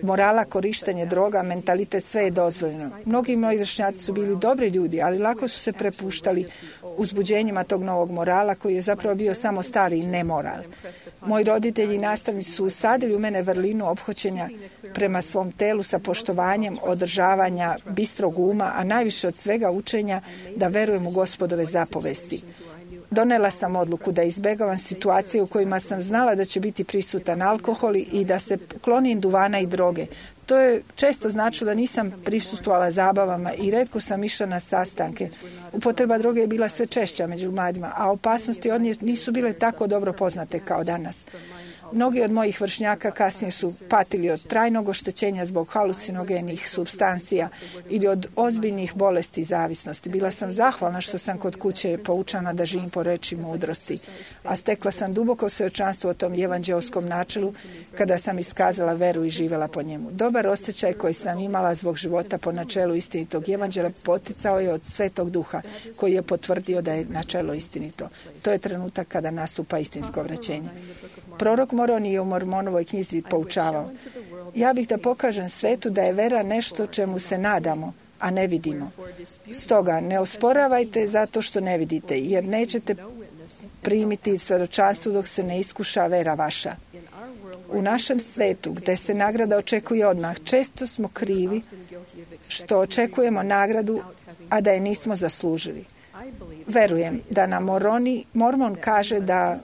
[SPEAKER 5] morala, korištenje droga, mentalitet, sve je dozvoljeno. Mnogi moji vršnjaci su bili dobri ljudi, ali lako su se prepuštali uzbuđenjima tog novog morala koji je zapravo bio samo stari nemoral. Moji roditelji i nastavnici su usadili u mene vrlinu ophođenja prema svom telu sa poštovanjem, održavanja bistrog uma, a najviše od svega učenja da verujem u Gospodove zapovesti. Donela sam odluku da izbegavam situacije u kojima sam znala da će biti prisutan alkohol i da se klonim duvana i droge. To je često značilo da nisam prisustvovala zabavama i retko sam išla na sastanke. Upotreba droge je bila sve češća među mladima, a opasnosti od nje nisu bile tako dobro poznate kao danas. Mnogi od mojih vršnjaka kasnije su patili od trajnog oštećenja zbog halucinogenih supstancija ili od ozbiljnih bolesti i zavisnosti. Bila sam zahvalna što sam kod kuće poučana da živim po reči mudrosti, a stekla sam duboko svjedočanstvo o tom evanđeoskom načelu kada sam iskazala veru i živjela po njemu. Dobar osjećaj koji sam imala zbog života po načelu istinitog evanđelja poticao je od Svetog Duha koji je potvrdio da je načelo istinito. To je trenutak kada nastupa istinsko vraćenje. Prorok Moroni je u Mormonovoj knjizi poučavao: ja bih da pokažem svetu da je vera nešto čemu se nadamo, a ne vidimo. Stoga ne osporavajte zato što ne vidite, jer nećete primiti svjedočanstvo dok se ne iskuša vera vaša. U našem svetu, gdje se nagrada očekuje odmah, često smo krivi što očekujemo nagradu, a da je nismo zaslužili. Verujem da nam Mormon kaže da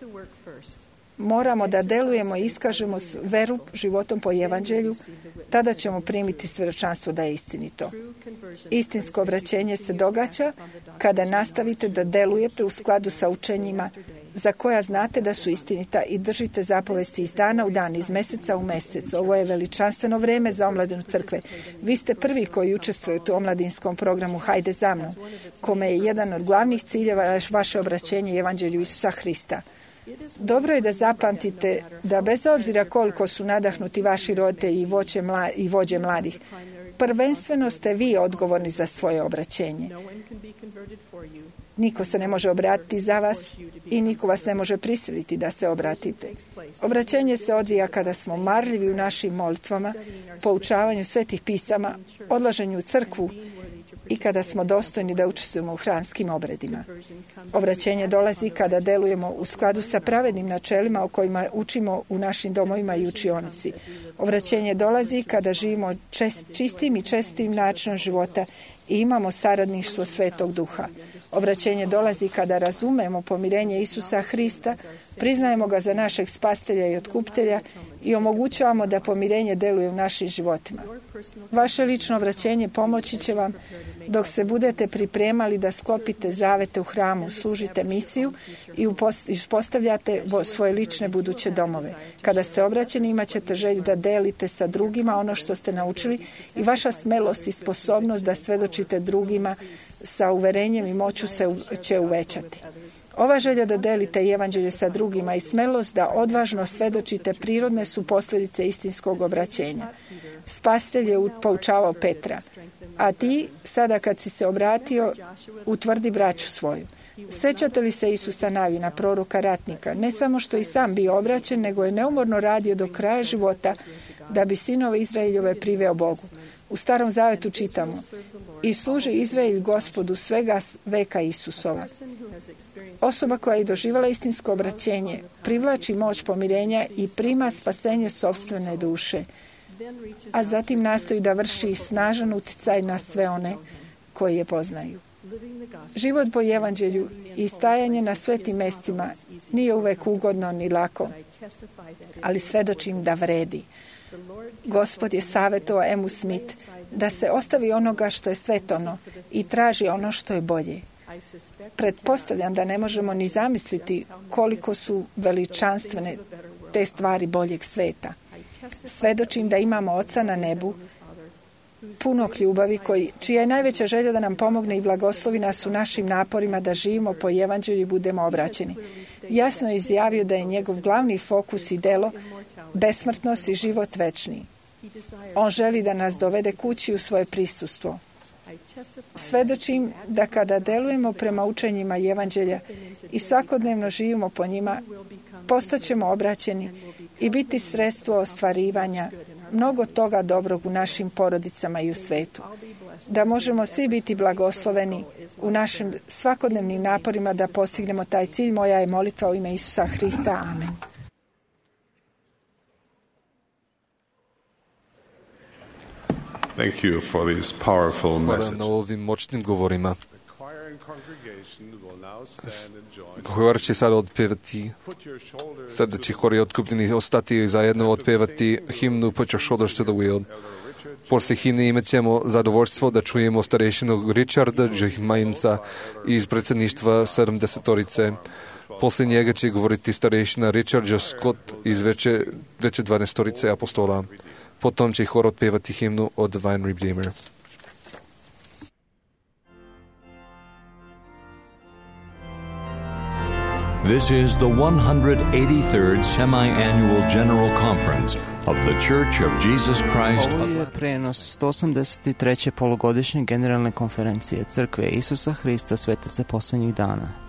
[SPEAKER 5] moramo da delujemo i iskažemo veru životom po evanđelju, tada ćemo primiti svjedočanstvo da je istinito. Istinsko obraćenje se događa kada nastavite da delujete u skladu sa učenjima za koja znate da su istinita i držite zapovesti iz dana u dan, iz meseca u mesec. Ovo je veličanstveno vrijeme za omladinu crkve. Vi ste prvi koji učestvujete u omladinskom programu Hajde za mnom, kome je jedan od glavnih ciljeva vaše obraćenje evanđelju Isusa Hrista. Dobro je da zapamtite da bez obzira koliko su nadahnuti vaši roditelji i vođe mladih, prvenstveno ste vi odgovorni za svoje obraćenje. Niko se ne može obratiti za vas i niko vas ne može prisiliti da se obratite. Obraćenje se odvija kada smo marljivi u našim molitvama, poučavanju svetih pisama, odlaženju u crkvu i kada smo dostojni da učestvujemo u hramskim obredima. Obraćenje dolazi kada delujemo u skladu sa pravednim načelima o kojima učimo u našim domovima i učionici. Obraćenje dolazi kada živimo čistim i čestim načinom života i imamo saradništvo Svetog Duha. Obraćenje dolazi kada razumemo pomirenje Isusa Hrista, priznajemo ga za našeg spastelja i otkupitelja i omogućavamo da pomirenje deluje u našim životima. Vaše lično obraćenje pomoći će vam dok se budete pripremali da sklopite zavete u hramu, služite misiju i uspostavljate svoje lične buduće domove. Kada ste obraćeni, imat ćete želju da delite sa drugima ono što ste naučili i vaša smelost i sposobnost da svedočite drugima sa uverenjem i moću će uvećati. Ova želja da delite evanđelje sa drugima i smelost da odvažno svedočite prirodne su posljedice istinskog obraćenja. Spasitelj je poučavao Petra: a ti, sada kad si se obratio, utvrdi braću svoju. Sjećate li se Isusa Navina, proroka ratnika? Ne samo što i sam bio obraćen, nego je neumorno radio do kraja života da bi sinove Izraeljove priveo Bogu. U Starom Zavetu čitamo: i služi Izrael Gospodu svega veka Isusova. Osoba koja je doživjela istinsko obraćenje privlači moć pomirenja i prima spasenje sopstvene duše, a zatim nastoji da vrši snažan utjecaj na sve one koji je poznaju. Život po evanđelju i stajanje na svetim mestima nije uvek ugodno ni lako, ali svedočim da vredi. Gospod je savjetovao Emu Smith da se ostavi onoga što je svetovno i traži ono što je bolje. Pretpostavljam da ne možemo ni zamisliti koliko su veličanstvene te stvari boljeg sveta. Svedočim da imamo Oca na nebu, punog ljubavi, čija je najveća želja da nam pomogne i blagoslovi nas u našim naporima da živimo po evanđelju i budemo obraćeni. Jasno je izjavio da je njegov glavni fokus i delo besmrtnost i život večni. On želi da nas dovede kući u svoje prisustvo. Svedočim da kada delujemo prema učenjima evanđelja i svakodnevno živimo po njima, postaćemo obraćeni i biti sredstvo ostvarivanja mnogo toga dobrog u našim porodicama i u svetu. Da možemo svi biti blagosloveni u našim svakodnevnim naporima da postignemo taj cilj. Moja je molitva u ime Isusa Hrista. Amen.
[SPEAKER 8] Thank you for these powerful messages.
[SPEAKER 2] Na ovim moćnim govorima. Hor će sad odpevati, sada će hori otkupljeni ostati zajedno odpevati himnu Put Your Shoulders to the Wheel. Poslije himne imat ćemo zadovoljstvo da čujemo starešinu Richarda Džihmajnca iz predsjedništva 70-torice. Poslije njega će govoriti starešina Richard J. Scott iz veće 12-torice apostola. Potom će hor otpevati himnu od Divine Redeemer.
[SPEAKER 1] This is the 183rd Semi-Annual General Conference of the Church of Jesus Christ.
[SPEAKER 9] Ovo je prenos 183. polugodišnje generalne konferencije Crkve Isusa Hrista Svetaca posljednjih dana.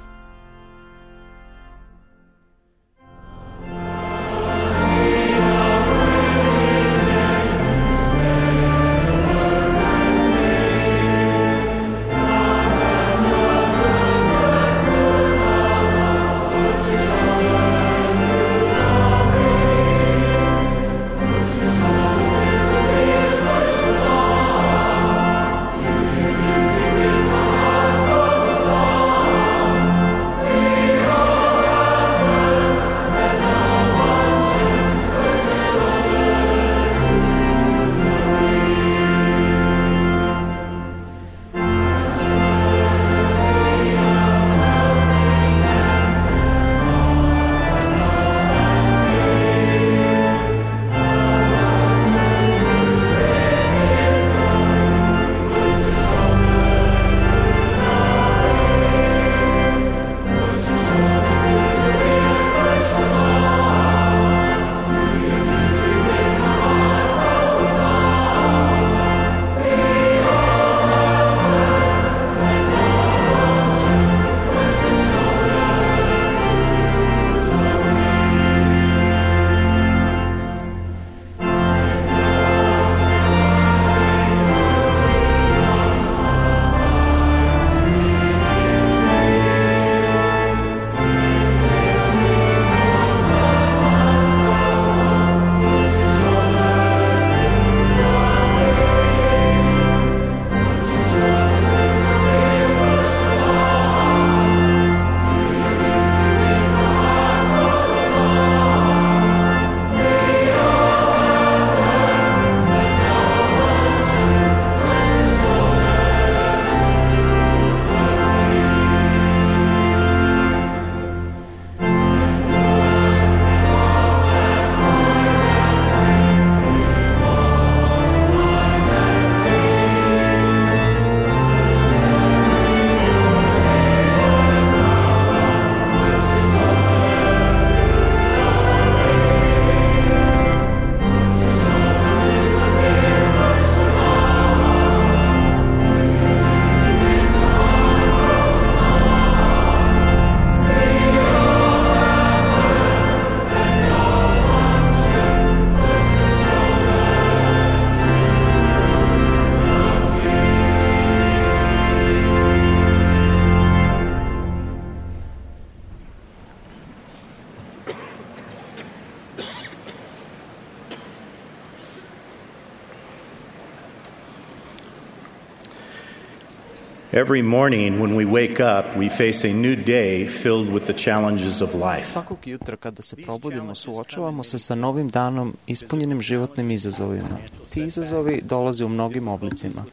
[SPEAKER 10] Every morning when we wake up, we face a new day filled with the challenges of life.
[SPEAKER 9] Svakog jutra kada se probudimo, suočavamo se sa novim danom ispunjenim životnim izazovima. Ti izazovi dolaze u mnogim oblicima.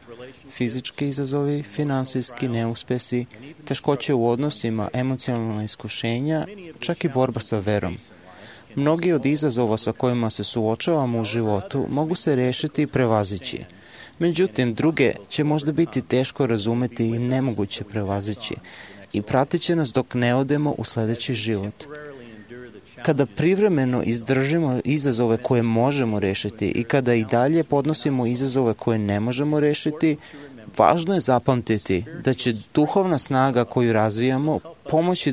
[SPEAKER 9] Fizički izazovi, finansijski neuspesi, teškoće u odnosima, emocionalna iskušenja, čak i borba sa verom. Mnogi od izazova sa kojima se suočavamo u životu mogu se rešiti i prevazići. Međutim, druge će možda biti teško razumeti i nemoguće prevazići i pratit će nas dok ne odemo u sledeći život. Kada privremeno izdržimo izazove koje možemo rešiti i kada i dalje podnosimo izazove koje ne možemo rešiti, važno je zapamtiti da će duhovna snaga koju razvijamo pomoći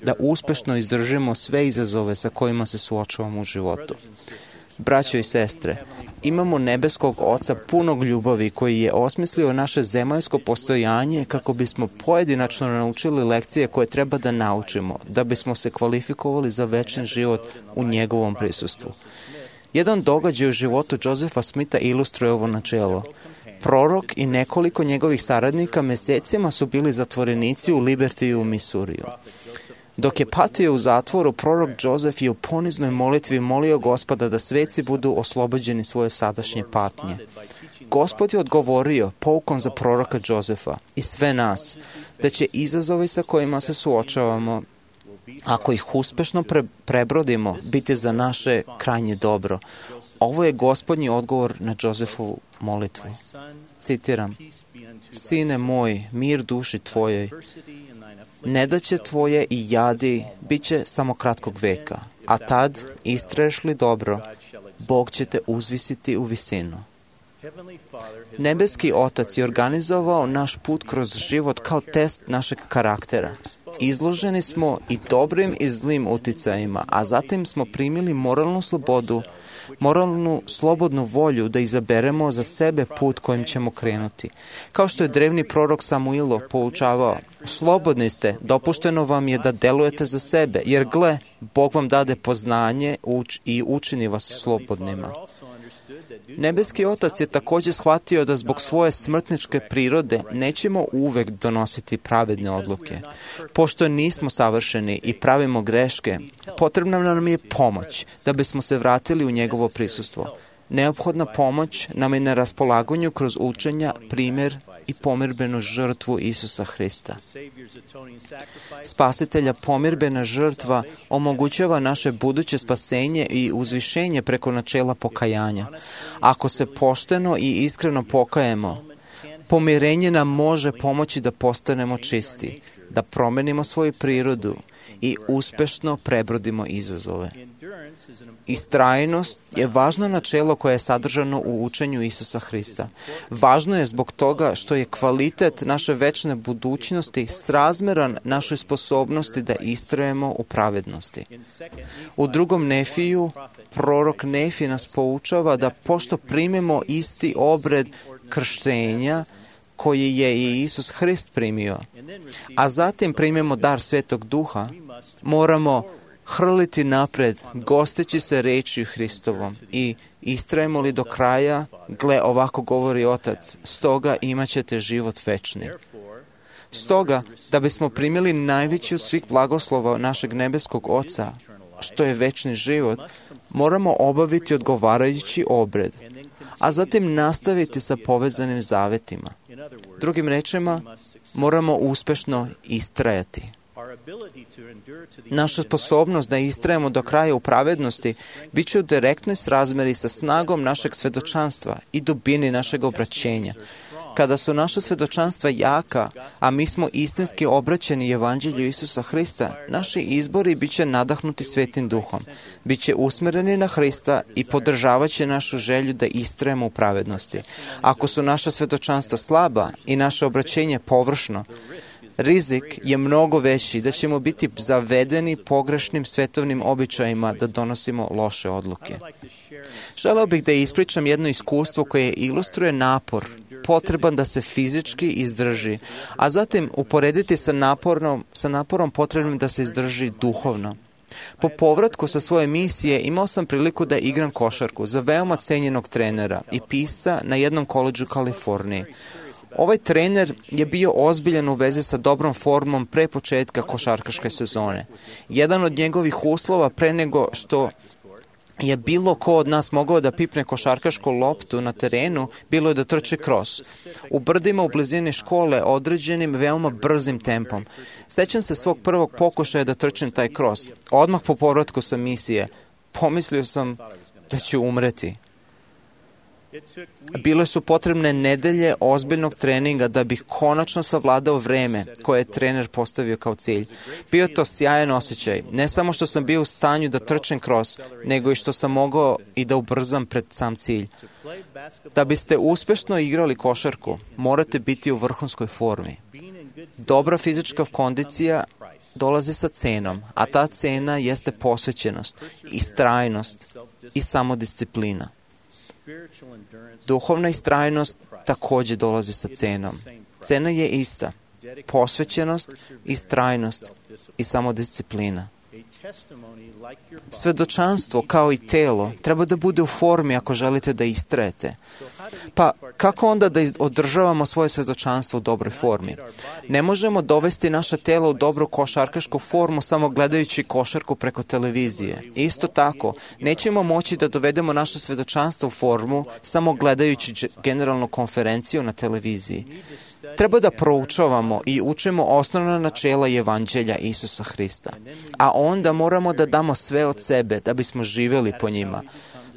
[SPEAKER 9] da uspešno izdržimo sve izazove sa kojima se suočavamo u životu. Braćo i sestre, imamo nebeskog Oca punog ljubavi koji je osmislio naše zemaljsko postojanje kako bismo pojedinačno naučili lekcije koje treba da naučimo, da bismo se kvalifikovali za večni život u njegovom prisustvu. Jedan događaj u životu Josefa Smitha ilustruje ovo načelo. Prorok i nekoliko njegovih saradnika mesecima su bili zatvorenici u Libertiju u Misuriju. Dok je patio u zatvoru, prorok Josef je u poniznoj molitvi molio Gospoda da sveci budu oslobođeni svoje sadašnje patnje. Gospod je odgovorio poukom za proroka Josefa i sve nas, da će izazovi sa kojima se suočavamo, ako ih uspešno prebrodimo, biti za naše krajnje dobro. Ovo je Gospodnji odgovor na Josefovu molitvu. Citiram: Sine moj, mir duši tvojoj, nedaće tvoje i jadi bit će samo kratkog veka, a tad, istraješ li dobro, Bog će te uzvisiti u visinu. Nebeski Otac je organizovao naš put kroz život kao test našeg karaktera. Izloženi smo i dobrim i zlim uticajima, a zatim smo primili moralnu slobodu, moralnu slobodnu volju da izaberemo za sebe put kojim ćemo krenuti. Kao što je drevni prorok Samuilo poučavao: slobodni ste, dopušteno vam je da delujete za sebe, jer gle, Bog vam dade poznanje i učini vas slobodnima. Nebeski Otac je također shvatio da zbog svoje smrtničke prirode nećemo uvek donositi pravedne odluke. Pošto nismo savršeni i pravimo greške, potrebna nam je pomoć da bismo se vratili u njegovo prisustvo. Neophodna pomoć nam je na raspolaganju kroz učenja, primjer i pomirbenu žrtvu Isusa Hrista. Spasitelja pomirbena žrtva omogućava naše buduće spasenje i uzvišenje preko načela pokajanja. Ako se pošteno i iskreno pokajemo, pomirenje nam može pomoći da postanemo čisti, da promenimo svoju prirodu i uspešno prebrodimo izazove. Istrajnost je važno načelo koje je sadržano u učenju Isusa Hrista. Važno je zbog toga što je kvalitet naše večne budućnosti srazmeran našoj sposobnosti da istrajemo u pravednosti. U drugom Nefiju, prorok Nefi nas poučava da pošto primimo isti obred krštenja koji je i Isus Hrist primio, a zatim primimo dar Svetog Duha, moramo hrliti napred, gosteći se rečju Hristovom i istrajemo li do kraja, gle, ovako govori Otac, stoga imat ćete život večni. Stoga, da bismo primili najveći od svih blagoslova našeg nebeskog Oca, što je večni život, moramo obaviti odgovarajući obred, a zatim nastaviti sa povezanim zavetima. Drugim rečima, moramo uspešno istrajati. Naša sposobnost da istrajemo do kraja u pravednosti bit će u direktnoj srazmeri sa snagom našeg svedočanstva i dubini našeg obraćenja. Kada su naša svedočanstva jaka, a mi smo istinski obraćeni evanđelju Isusa Hrista, naši izbori bit će nadahnuti Svetim Duhom, bit će usmereni na Hrista i podržavat će našu želju da istrajemo u pravednosti. Ako su naša svedočanstva slaba i naše obraćenje površno, rizik je mnogo veći da ćemo biti zavedeni pogrešnim svetovnim običajima da donosimo loše odluke. Želeo bih da ispričam jedno iskustvo koje ilustruje napor potreban da se fizički izdrži, a zatim uporediti sa naporom potrebnim da se izdrži duhovno. Po povratku sa svoje misije imao sam priliku da igram košarku za veoma cenjenog trenera i pisca na jednom koledžu u Kaliforniji. Ovaj trener je bio ozbiljan u vezi sa dobrom formom pre početka košarkaške sezone. Jedan od njegovih uslova pre nego što je bilo ko od nas mogao da pipne košarkašku loptu na terenu, bilo je da trči kros. U brdima u blizini škole određenim veoma brzim tempom. Sećam se svog prvog pokušaja da trčim taj kros. Odmah po povratku sa misije. pomislio sam da ću umreti. Bile su potrebne nedelje ozbiljnog treninga da bih konačno savladao vreme koje je trener postavio kao cilj. Bio je to sjajan osjećaj. Ne samo što sam bio u stanju da trčem kroz, nego i što sam mogao i da ubrzam pred sam cilj. Da biste uspešno igrali košarku, morate biti u vrhunskoj formi. Dobra fizička kondicija dolazi sa cenom, a ta cena jeste posvećenost, istrajnost i samodisciplina. Duhovna istrajnost također dolazi sa cenom. Cena je ista. Posvećenost, istrajnost i samodisciplina. Svedočanstvo, kao i telo, treba da bude u formi ako želite da istrajete. Pa kako onda da održavamo svoje svedočanstvo u dobroj formi? Ne možemo dovesti naše telo u dobru košarkašku formu samo gledajući košarku preko televizije. Isto tako, nećemo moći da dovedemo naše svedočanstvo u formu samo gledajući generalnu konferenciju na televiziji. Treba da proučavamo i učimo osnovna načela Evanđelja Isusa Hrista. A onda moramo da damo sve od sebe da bismo živjeli po njima.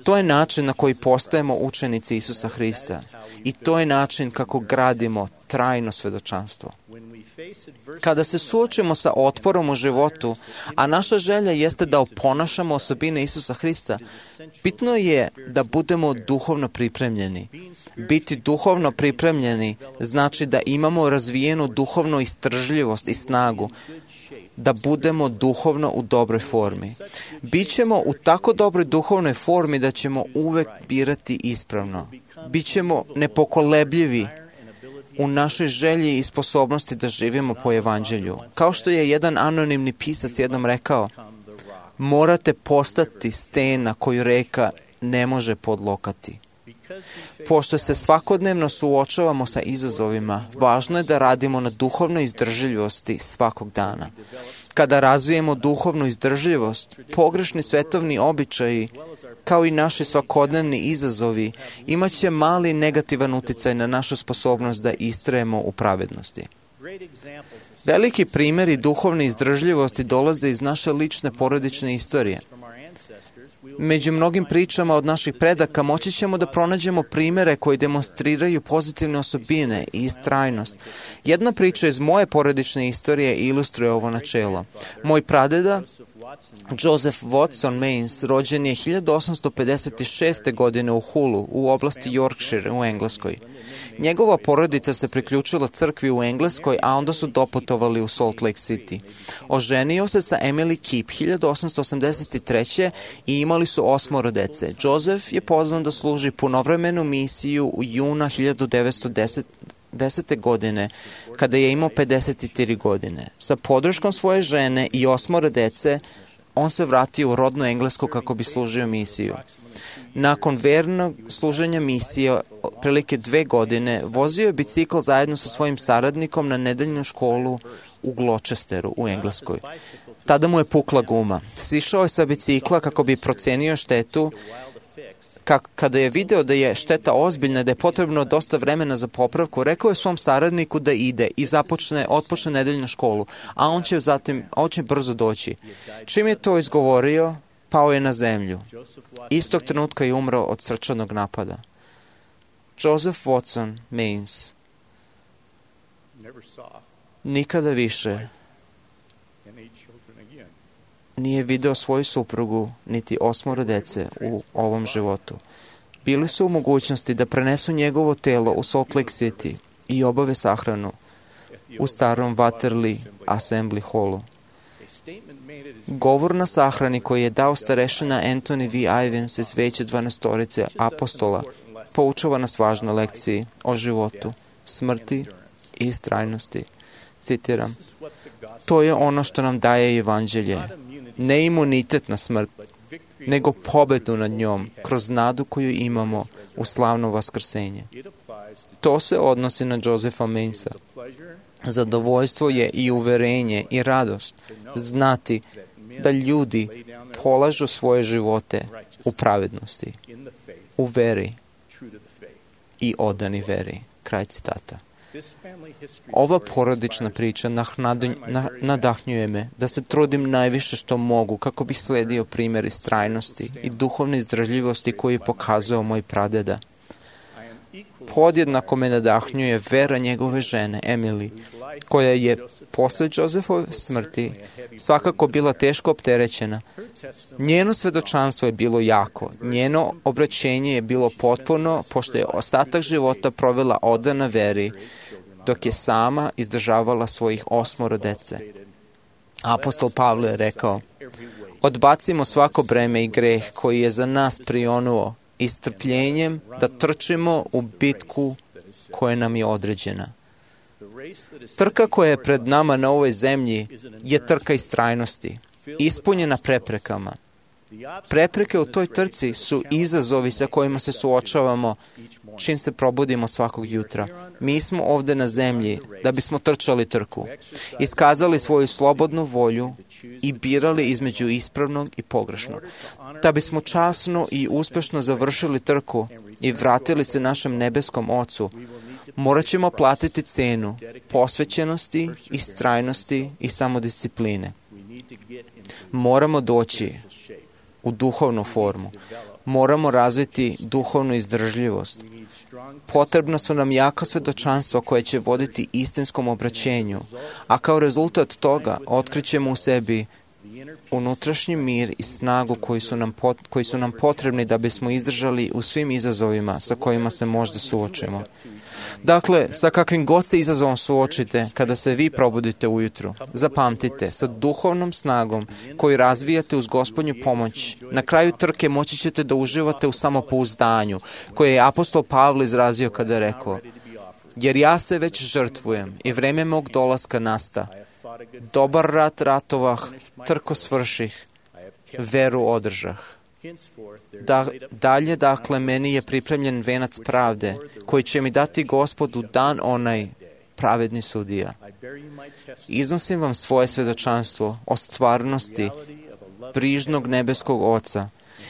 [SPEAKER 9] To je način na koji postajemo učenici Isusa Hrista. I to je način kako gradimo trajno svedočanstvo. Kada se suočimo sa otporom u životu, a naša želja jeste da oponašamo osobine Isusa Hrista, bitno je da budemo duhovno pripremljeni. Biti duhovno pripremljeni znači da imamo razvijenu duhovnu izdržljivost i snagu, da budemo duhovno u dobroj formi. Bićemo u tako dobroj duhovnoj formi da ćemo uvek birati ispravno. Bićemo nepokolebljivi u našoj želji i sposobnosti da živimo po Evanđelju. Kao što je jedan anonimni pisac jednom rekao, morate postati stena koju reka ne može podlokati. Pošto se svakodnevno suočavamo sa izazovima, važno je da radimo na duhovnoj izdržljivosti svakog dana. Kada razvijemo duhovnu izdržljivost, pogrešni svetovni običaji, kao i naši svakodnevni izazovi, imat će mali negativan uticaj na našu sposobnost da istrajemo u pravednosti. Veliki primjeri duhovne izdržljivosti dolaze iz naše lične porodične istorije. Među mnogim pričama od naših predaka moći ćemo da pronađemo primjere koji demonstriraju pozitivne osobine i istrajnost. Jedna priča iz moje porodične istorije ilustruje ovo načelo. Moj pradeda, Joseph Watson Mains, rođen je 1856. godine u Hullu, u oblasti Yorkshire u Engleskoj. Njegova porodica se priključila crkvi u Engleskoj, a onda su doputovali u Salt Lake City. Oženio se sa Emily Keep 1883. i imali su 8 dece. Joseph je pozvan da služi punovremenu misiju u juna 1910. godine, kada je imao 53 godine. Sa podrškom svoje žene i 8 dece, on se vratio u rodnu Englesku kako bi služio misiju. Nakon vernog služenja misije, prilike 2 godine, vozio je bicikl zajedno sa svojim saradnikom na nedeljnu školu u Gloucesteru u Engleskoj. Tada mu je pukla guma. Sišao je sa bicikla kako bi procenio štetu. Kada je video da je šteta ozbiljna, da je potrebno dosta vremena za popravku, rekao je svom saradniku da ide i otpočne nedeljnu školu, a on će brzo doći. Čim je to izgovorio, pao je na zemlju. Istog trenutka je umro od srčanog napada. Joseph Watson Mains nikada više nije video svoju suprugu niti 8 dece u ovom životu. Bili su u mogućnosti da prenesu njegovo telo u Salt Lake City i obave sahranu u starom Waterloo Assembly Hallu. Govor na sahrani koji je dao starešina Anthony V. Ivins iz veće 12 apostola poučava nas važnoj lekciji o životu, smrti i istrajnosti. Citiram, to je ono što nam daje Evanđelje. Ne imunitet na smrt, nego pobedu nad njom kroz nadu koju imamo u slavno vaskrsenje. To se odnosi na Josepha Mainsa. Zadovoljstvo je i uverenje i radost znati da ljudi polažu svoje živote u pravednosti, u veri i odani veri. Kraj citata. Ova porodična priča nadahnjuje me da se trudim najviše što mogu kako bih sledio primjer istrajnosti i duhovne izdržljivosti koji je pokazao moj pradeda. Podjednako me nadahnjuje vera njegove žene, Emily, koja je posle Josefove smrti svakako bila teško opterećena. Njeno svedočanstvo je bilo jako, njeno obraćenje je bilo potpuno, pošto je ostatak života provela odana veri, dok je sama izdržavala svojih 8 dece. Apostol Pavle je rekao: odbacimo svako breme i greh koji je za nas prionuo i strpljenjem da trčimo u bitku koja nam je određena. Trka koja je pred nama na ovoj zemlji je trka istrajnosti, ispunjena preprekama. Prepreke u toj trci su izazovi sa kojima se suočavamo čim se probudimo svakog jutra. Mi smo ovdje na zemlji da bismo trčali trku, iskazali svoju slobodnu volju i birali između ispravnog i pogrešnog. Da bismo časno i uspješno završili trku i vratili se našem nebeskom Ocu, morat ćemo platiti cenu posvećenosti, istrajnosti i samodiscipline. Moramo doći u duhovnu formu. Moramo razviti duhovnu izdržljivost. Potrebna su nam jaka svedočanstva koje će voditi istinskom obraćenju, a kao rezultat toga otkrićemo u sebi unutrašnji mir i snagu koji su nam potrebni da bismo izdržali u svim izazovima sa kojima se možda suočimo. Dakle, sa kakvim god se izazovom suočite kada se vi probudite ujutru, zapamtite, sa duhovnom snagom koju razvijate uz Gospodnju pomoć, na kraju trke moći ćete da uživate u samopouzdanju, koje je apostol Pavle izrazio kada je rekao: jer ja se već žrtvujem i vreme mog dolaska nasta. Dobar rat ratovah, trko svrših, veru održah. Dalje, dakle, meni je pripremljen venac pravde, koji će mi dati Gospod u dan onaj, pravedni sudija. Iznosim vam svoje svedočanstvo o stvarnosti brižnog nebeskog Oca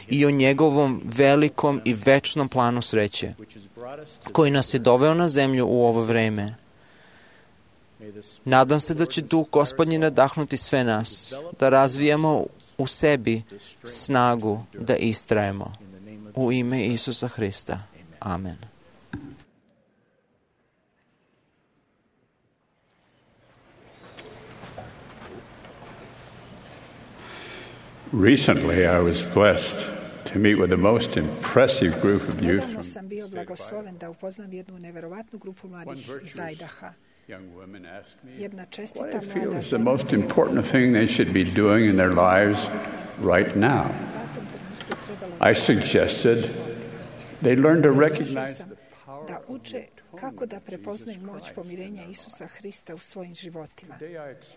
[SPEAKER 9] i o njegovom velikom i večnom planu sreće, koji nas je doveo na zemlju u ovo vreme. Nadam se da će Duh Gospodnji nadahnuti sve nas, da razvijamo u sebi snagu da istrajemo. U ime Isusa Hrista. Amen.
[SPEAKER 8] Recently, I was blessed to meet with the most impressive group of youth.
[SPEAKER 5] Nedavno sam bio blagosloven da upoznam jednu neverovatnu grupu mladih iz Idaha. Jedna čestita mlada žena. What I feel is the most important thing they should be doing in their lives right now. I suggested they learn to recognize the power da uče kako da prepoznaju moć pomirenja Isusa Hrista u svojim životima.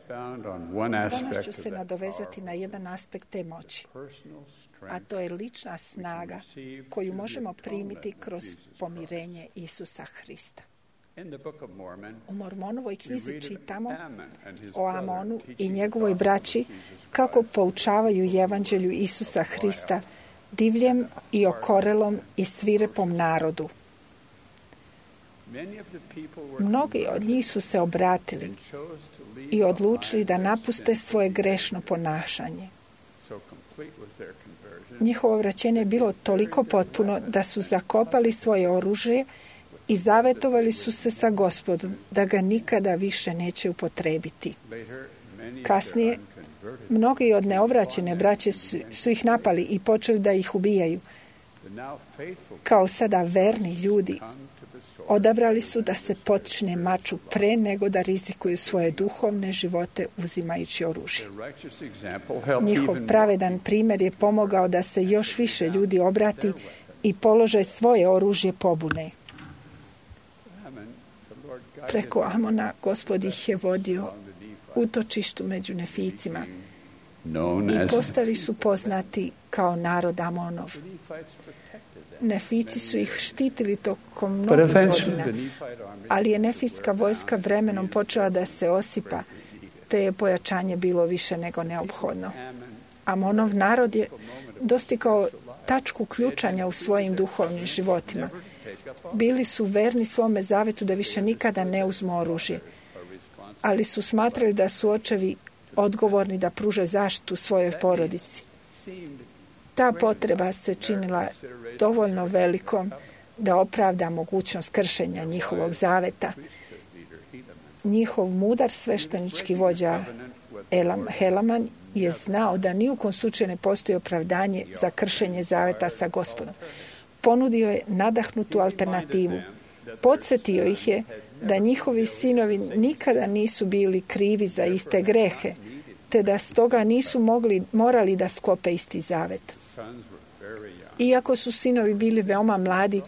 [SPEAKER 5] Danas ću se nadovezati na jedan aspekt te moći, a to je lična snaga koju možemo primiti kroz pomirenje Isusa Hrista. U Mormonovoj knjizi čitamo o Amonu i njegovoj braći kako poučavaju evanđelju Isusa Hrista divljem i okorelom i svirepom narodu. Mnogi od njih su se obratili i odlučili da napuste svoje grešno ponašanje. Njihovo vraćenje je bilo toliko potpuno da su zakopali svoje oružje i zavetovali su se sa Gospodom da ga nikada više neće upotrebiti. Kasnije, mnogi od neovraćene braće su ih napali i počeli da ih ubijaju. Kao sada verni ljudi odabrali su da se počne maču pre nego da rizikuju svoje duhovne živote uzimajući oružje. Njihov pravedan primjer je pomogao da se još više ljudi obrati i polože svoje oružje pobune. Preko Amona Gospod ih je vodio utočištu među Neficima i postali su poznati kao narod Amonov. Nefici su ih štitili tokom mnogih godina, ali je nefijska vojska vremenom počela da se osipa, te je pojačanje bilo više nego neophodno. Amonov narod je dostigao tačku ključanja u svojim duhovnim životima Bili su verni svome zavetu da više nikada ne uzmu oružje, ali su smatrali da su očevi odgovorni da pruže zaštitu svojoj porodici. Ta potreba se činila dovoljno velikom da opravda mogućnost kršenja njihovog zaveta. Njihov mudar sveštenički vođa Helaman je znao da ni u kom slučaju ne postoji opravdanje za kršenje zaveta sa Gospodom. Ponudio je nadahnutu alternativu. Podsjetio ih je da njihovi sinovi nikada nisu bili krivi za iste grehe, te da stoga nisu morali da sklope isti zavet. Iako su sinovi bili veoma mladi,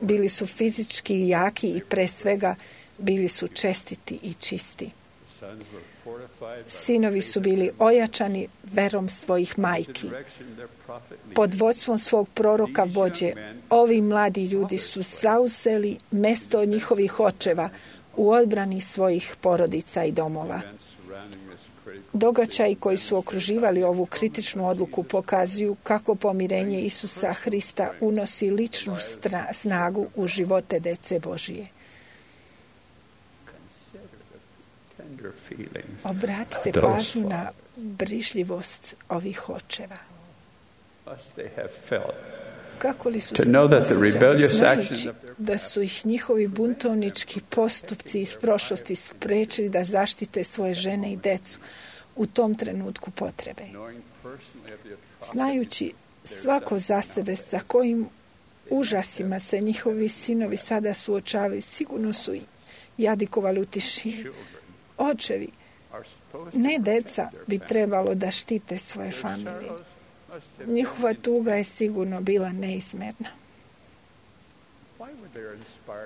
[SPEAKER 5] bili su fizički jaki i pre svega bili su čestiti i čisti. Sinovi su bili ojačani verom svojih majki. Pod vođstvom svog proroka vođe, ovi mladi ljudi su zauzeli mesto od njihovih očeva u odbrani svojih porodica i domova. Događaji koji su okruživali ovu kritičnu odluku pokazuju kako pomirenje Isusa Hrista unosi ličnu snagu u živote dece Božije. Obratite pažnju na brižljivost ovih očeva. Kako li su se osjećali, znajući da su ih njihovi buntovnički postupci iz prošlosti sprečili da zaštite svoje žene i decu u tom trenutku potrebe. Znajući svako za sebe sa kojim užasima se njihovi sinovi sada suočavaju, sigurno su jadikovali u tišini. Očevi, ne deca, bi trebalo da štite svoje familije. Njihova tuga je sigurno bila neizmjerna.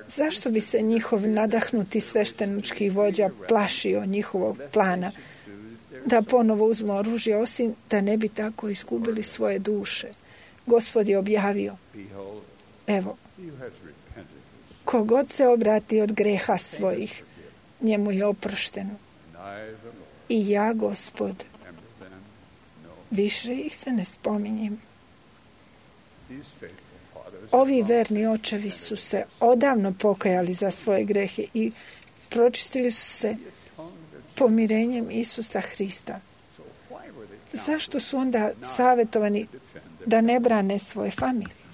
[SPEAKER 5] Zašto bi se njihov nadahnuti sveštenički vođa plašio njihovog plana da ponovo uzmu oružje, osim da ne bi tako izgubili svoje duše? Gospod je objavio, evo, kogod se obrati od greha svojih, njemu je oprošteno. I ja, Gospod, više ih se ne spominjem. Ovi verni očevi su se odavno pokajali za svoje grehe i pročistili su se pomirenjem Isusa Hrista. Zašto su onda savjetovani da ne brane svoje familije?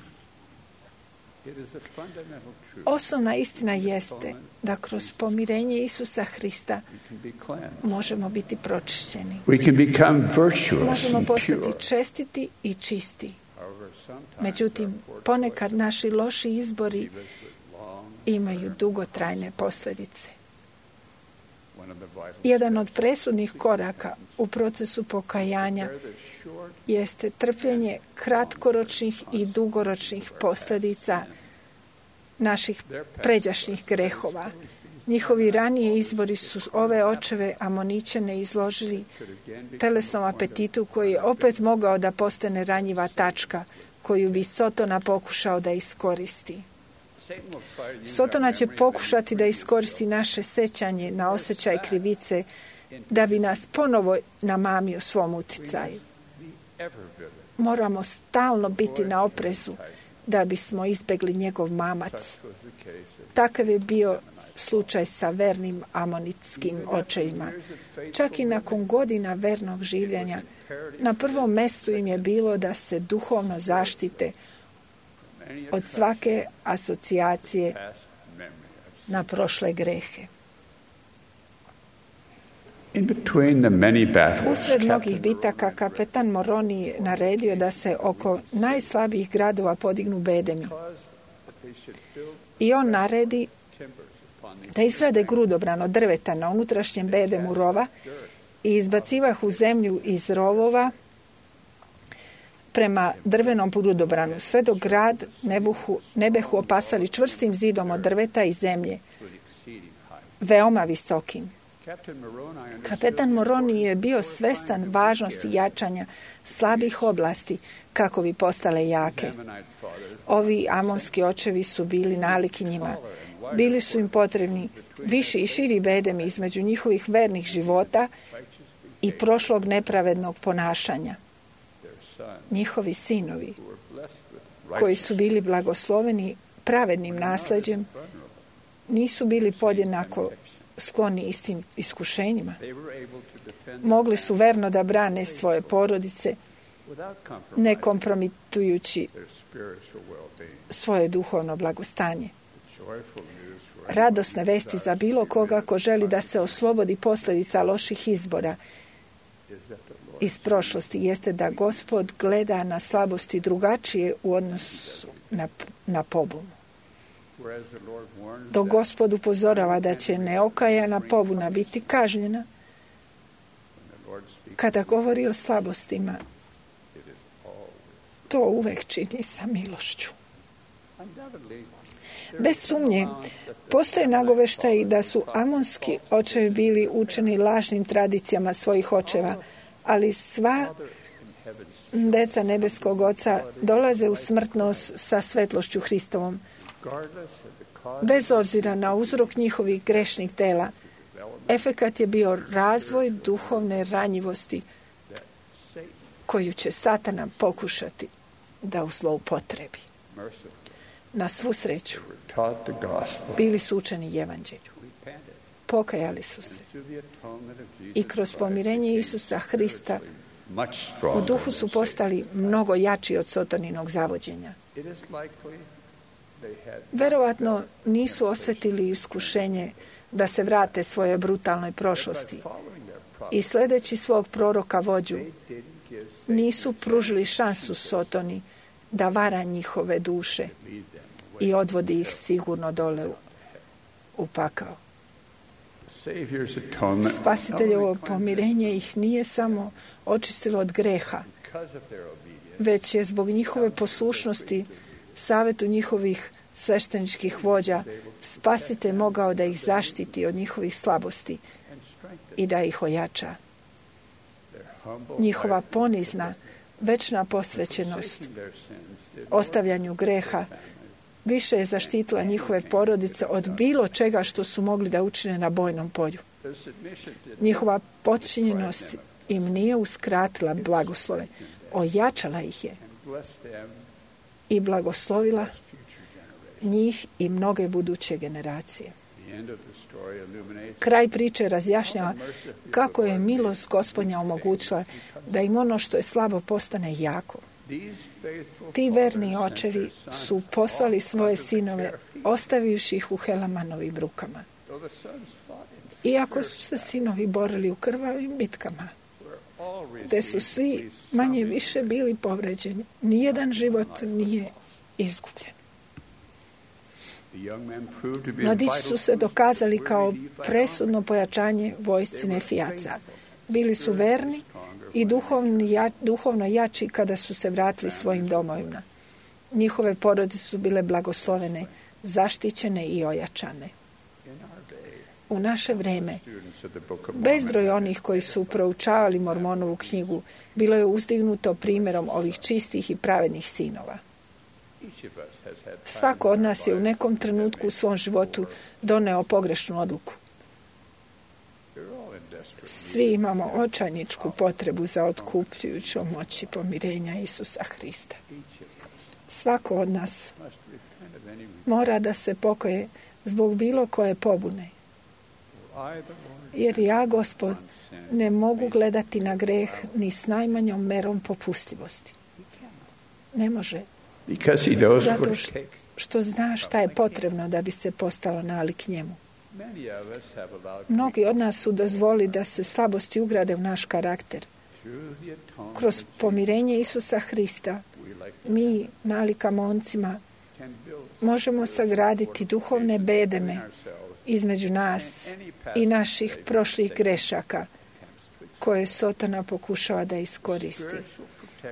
[SPEAKER 5] Osnovna istina jeste da kroz pomirenje Isusa Hrista možemo biti pročišćeni. Možemo postati čestiti i čisti. Međutim, ponekad naši loši izbori imaju dugotrajne posljedice. Jedan od presudnih koraka u procesu pokajanja jeste trpljenje kratkoročnih i dugoročnih posljedica naših pređašnjih grehova. Njihovi ranije izbori su ove očeve Amoničane izložili telesnom apetitu koji je opet mogao da postane ranjiva tačka koju bi Sotona pokušao da iskoristi. Sotona će pokušati da iskoristi naše sećanje na osjećaj krivice da bi nas ponovo namamio svom uticaju. Moramo stalno biti na oprezu da bismo izbegli njegov mamac. Takav je bio slučaj sa vernim amonitskim očevima. Čak i nakon godina vernog življenja, na prvom mestu im je bilo da se duhovno zaštite od svake asocijacije na prošle grehe. Usred mnogih bitaka kapetan Moroni je naredio da se oko najslabijih gradova podignu bedemi. I on naredi da izgrade grudobran od drveta na unutrašnjem bedemu rova i izbacivah u zemlju iz rovova prema drvenom grudobranu, sve dok grad ne behu opasali čvrstim zidom od drveta i zemlje, veoma visokim. Kapetan Moroni je bio svestan važnosti jačanja slabih oblasti kako bi postale jake. Ovi amonski očevi su bili naliki njima. Bili su im potrebni viši i širi bedemi između njihovih vernih života i prošlog nepravednog ponašanja. Njihovi sinovi, koji su bili blagosloveni pravednim nasljeđem, nisu bili podjednako skloni istim iskušenjima. Mogli su verno da brane svoje porodice, ne kompromitujući svoje duhovno blagostanje. Radosne vesti za bilo koga ko želi da se oslobodi posljedica loših izbora iz prošlosti jeste da Gospod gleda na slabosti drugačije u odnosu na pobunu. Dok Gospod upozorava da će neokajana pobuna biti kažnjena, kada govori o slabostima, to uvek čini sa milošću. Bez sumnje, postoje nagoveštaji da su amonski očevi bili učeni lažnim tradicijama svojih očeva, ali sva deca nebeskog Oca dolaze u smrtnost sa svetlošću Hristovom. Bez obzira na uzrok njihovih grešnih dela, efekat je bio razvoj duhovne ranjivosti koju će Satana pokušati da zloupotrebi. Na svu sreću, bili su učeni evanđelju. Pokajali su se. I kroz pomirenje Isusa Hrista u duhu su postali mnogo jači od Sotoninog zavođenja. Verovatno nisu osjetili iskušenje da se vrate svojoj brutalnoj prošlosti i sledeći svog proroka vođu nisu pružili šansu Sotoni da vara njihove duše i odvodi ih sigurno dole u pakao. Spasiteljevo pomirenje ih nije samo očistilo od greha, već je zbog njihove poslušnosti savetu njihovih svešteničkih vođa Spasitelj mogao da ih zaštiti od njihovih slabosti i da ih ojača. Njihova ponizna, večna posvećenost ostavljanju greha više je zaštitila njihove porodice od bilo čega što su mogli da učine na bojnom polju. Njihova podčinjenost im nije uskratila blagoslove, ojačala ih je i blagoslovila njih i mnoge buduće generacije. Kraj priče razjašnjava kako je milost Gospodnja omogućila da im ono što je slabo postane jako. Ti verni očevi su poslali svoje sinove, ostavivši ih u Helamanovim rukama. Iako su se sinovi borili u krvavim bitkama, gde su svi manje više bili povređeni, nijedan život nije izgubljen. Mladići su se dokazali kao presudno pojačanje vojsci Nefijaca. Bili su verni i duhovno jači kada su se vratili svojim domovima. Njihove porodice su bile blagoslovene, zaštićene i ojačane. U naše vreme, bezbroj onih koji su proučavali Mormonovu knjigu bilo je uzdignuto primjerom ovih čistih i pravednih sinova. Svako od nas je u nekom trenutku u svom životu doneo pogrešnu odluku. Svi imamo očajničku potrebu za otkupljujućom moći pomirenja Isusa Hrista. Svako od nas mora da se pokaje zbog bilo koje pobune. Jer ja, Gospod, ne mogu gledati na greh ni s najmanjom merom popustljivosti. Ne može. Zato što zna šta je potrebno da bi se postalo nalik njemu. Mnogi od nas su dozvolili da se slabosti ugrade u naš karakter. Kroz pomirenje Isusa Hrista mi, nalika momcima, možemo sagraditi duhovne bedeme između nas i naših prošlih grešaka koje Sotona pokušava da iskoristi.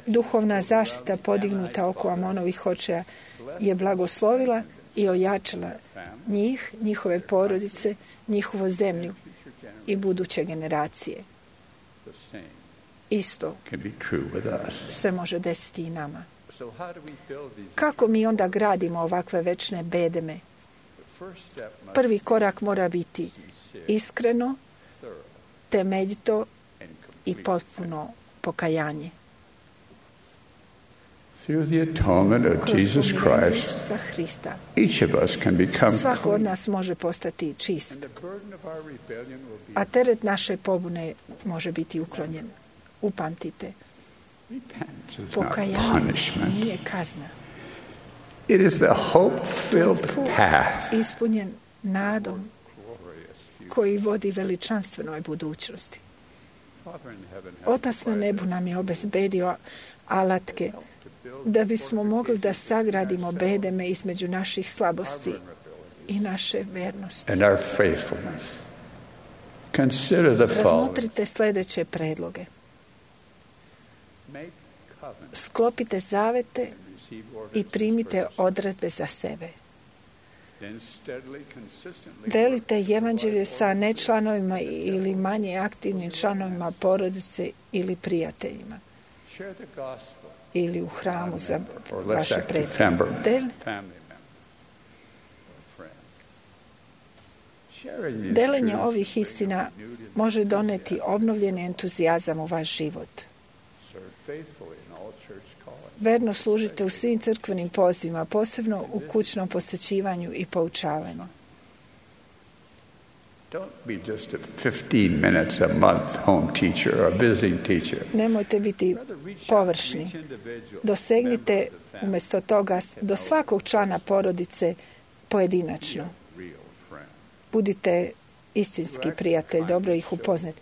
[SPEAKER 5] Duhovna zaštita podignuta oko Amonovih očeja je blagoslovila i ojačala njih, njihove porodice, njihovu zemlju i buduće generacije. Isto se može desiti i nama. Kako mi onda gradimo ovakve večne bedeme? Prvi korak mora biti iskreno, temeljito i potpuno pokajanje.
[SPEAKER 8] Through the atonement of Jesus Christ,
[SPEAKER 5] Isusa Hrista,
[SPEAKER 8] each of us can become
[SPEAKER 5] svako od
[SPEAKER 8] clean.
[SPEAKER 5] nas može postati čist,
[SPEAKER 8] And the burden of our rebellion will be
[SPEAKER 5] a teret naše pobune može biti uklonjen. Upamtite,
[SPEAKER 8] repentance is not
[SPEAKER 5] pokajanje
[SPEAKER 8] punishment.
[SPEAKER 5] nije kazna.
[SPEAKER 8] It is the hope-filled
[SPEAKER 5] Put
[SPEAKER 8] path
[SPEAKER 5] ispunjen nadom koji vodi veličanstvenoj budućnosti.
[SPEAKER 8] Father in heaven has
[SPEAKER 5] Otac na nebu nam je obezbedio alatke da bismo mogli da sagradimo bedeme između naših slabosti i naše vernosti.
[SPEAKER 8] and our faithfulness. Consider the following.
[SPEAKER 5] Razmotrite sljedeće predloge.
[SPEAKER 8] Make covenant
[SPEAKER 5] Sklopite zavete
[SPEAKER 8] and receive orders
[SPEAKER 5] i primite
[SPEAKER 8] first.
[SPEAKER 5] odredbe za sebe.
[SPEAKER 8] Then steadily, consistently
[SPEAKER 5] Delite evanđelje sa nečlanovima ili manje aktivnim članovima porodice ili prijateljima
[SPEAKER 8] share the gospel
[SPEAKER 5] ili u hramu za
[SPEAKER 8] or less
[SPEAKER 5] vaše
[SPEAKER 8] active
[SPEAKER 5] prijatelje.
[SPEAKER 8] family member or friend. Sharing these
[SPEAKER 5] Delenje
[SPEAKER 8] truths
[SPEAKER 5] ovih istina može doneti obnovljeni entuzijazam u vaš život.
[SPEAKER 8] serve faithfully in all church callings.
[SPEAKER 5] Verno služite u svim crkvenim pozivima, posebno u kućnom posjećivanju i poučavanju.
[SPEAKER 8] Don't be just a 15 minutes a month home teacher or a visiting teacher.
[SPEAKER 5] Nemojte biti površni. Dosegnite umjesto toga do svakog člana porodice pojedinačno.
[SPEAKER 8] Real friend.
[SPEAKER 5] Budite istinski prijatelj, dobro ih upoznati.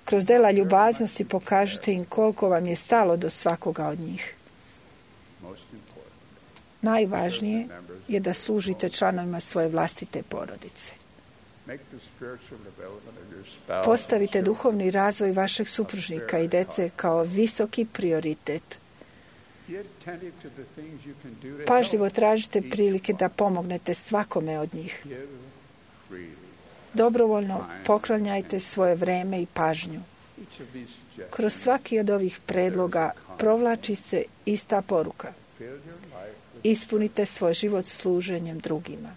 [SPEAKER 5] Kroz dela ljubaznosti pokažite im koliko vam je stalo do svakoga od njih.
[SPEAKER 8] Most important.
[SPEAKER 5] Najvažnije je da služite članovima svoje vlastite porodice.
[SPEAKER 8] Make the spiritual development of your spouse
[SPEAKER 5] Postavite duhovni razvoj vašeg supružnika i dece kao visoki prioritet.
[SPEAKER 8] Be attentive to the things you can do to
[SPEAKER 5] Pažljivo
[SPEAKER 8] help.
[SPEAKER 5] tražite prilike da pomognete svakome od njih.
[SPEAKER 8] Give freely.
[SPEAKER 5] Dobrovoljno poklanjajte svoje vreme i pažnju.
[SPEAKER 8] Each of these suggestions
[SPEAKER 5] Kroz svaki od ovih predloga provlači se ista poruka.
[SPEAKER 8] fill your life with,
[SPEAKER 5] Ispunite svoj život služenjem drugima.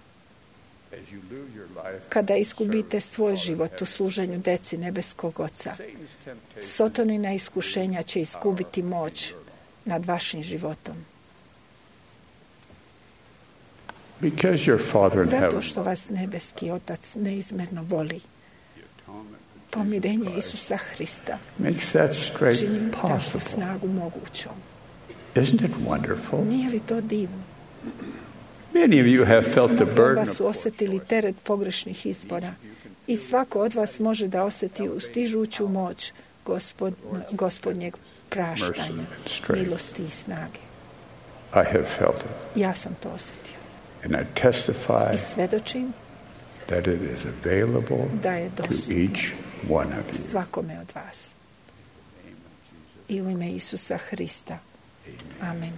[SPEAKER 8] as you lose your life.
[SPEAKER 5] Kada izgubite svoj život u služenju deci nebeskog Oca,
[SPEAKER 8] Satan's temptation
[SPEAKER 5] Sotonina iskušenja će izgubiti moć nad vašim životom.
[SPEAKER 8] Because your Father in
[SPEAKER 5] Zato
[SPEAKER 8] heaven
[SPEAKER 5] što vas nebeski Otac neizmerno voli. Pomirenje Isusa Hrista
[SPEAKER 8] makes that strength
[SPEAKER 5] čini takvu
[SPEAKER 8] possible.
[SPEAKER 5] snagu mogućom.
[SPEAKER 8] Isn't it wonderful?
[SPEAKER 5] Nije li to divno?
[SPEAKER 8] Many of you have felt the
[SPEAKER 5] Mnogi od
[SPEAKER 8] burden
[SPEAKER 5] vas
[SPEAKER 8] of
[SPEAKER 5] su osjetili teret pogrešnih izbora i svako od vas može da osjeti ustižuću moć gospodnjeg praštanja, milosti i snage.
[SPEAKER 8] I have felt it.
[SPEAKER 5] Ja sam to osjetio.
[SPEAKER 8] And I testify
[SPEAKER 5] I svedočim
[SPEAKER 8] that it is available
[SPEAKER 5] da je
[SPEAKER 8] to
[SPEAKER 5] dostupno
[SPEAKER 8] each one of you.
[SPEAKER 5] svakome od vas. I u ime Isusa Hrista. Amen.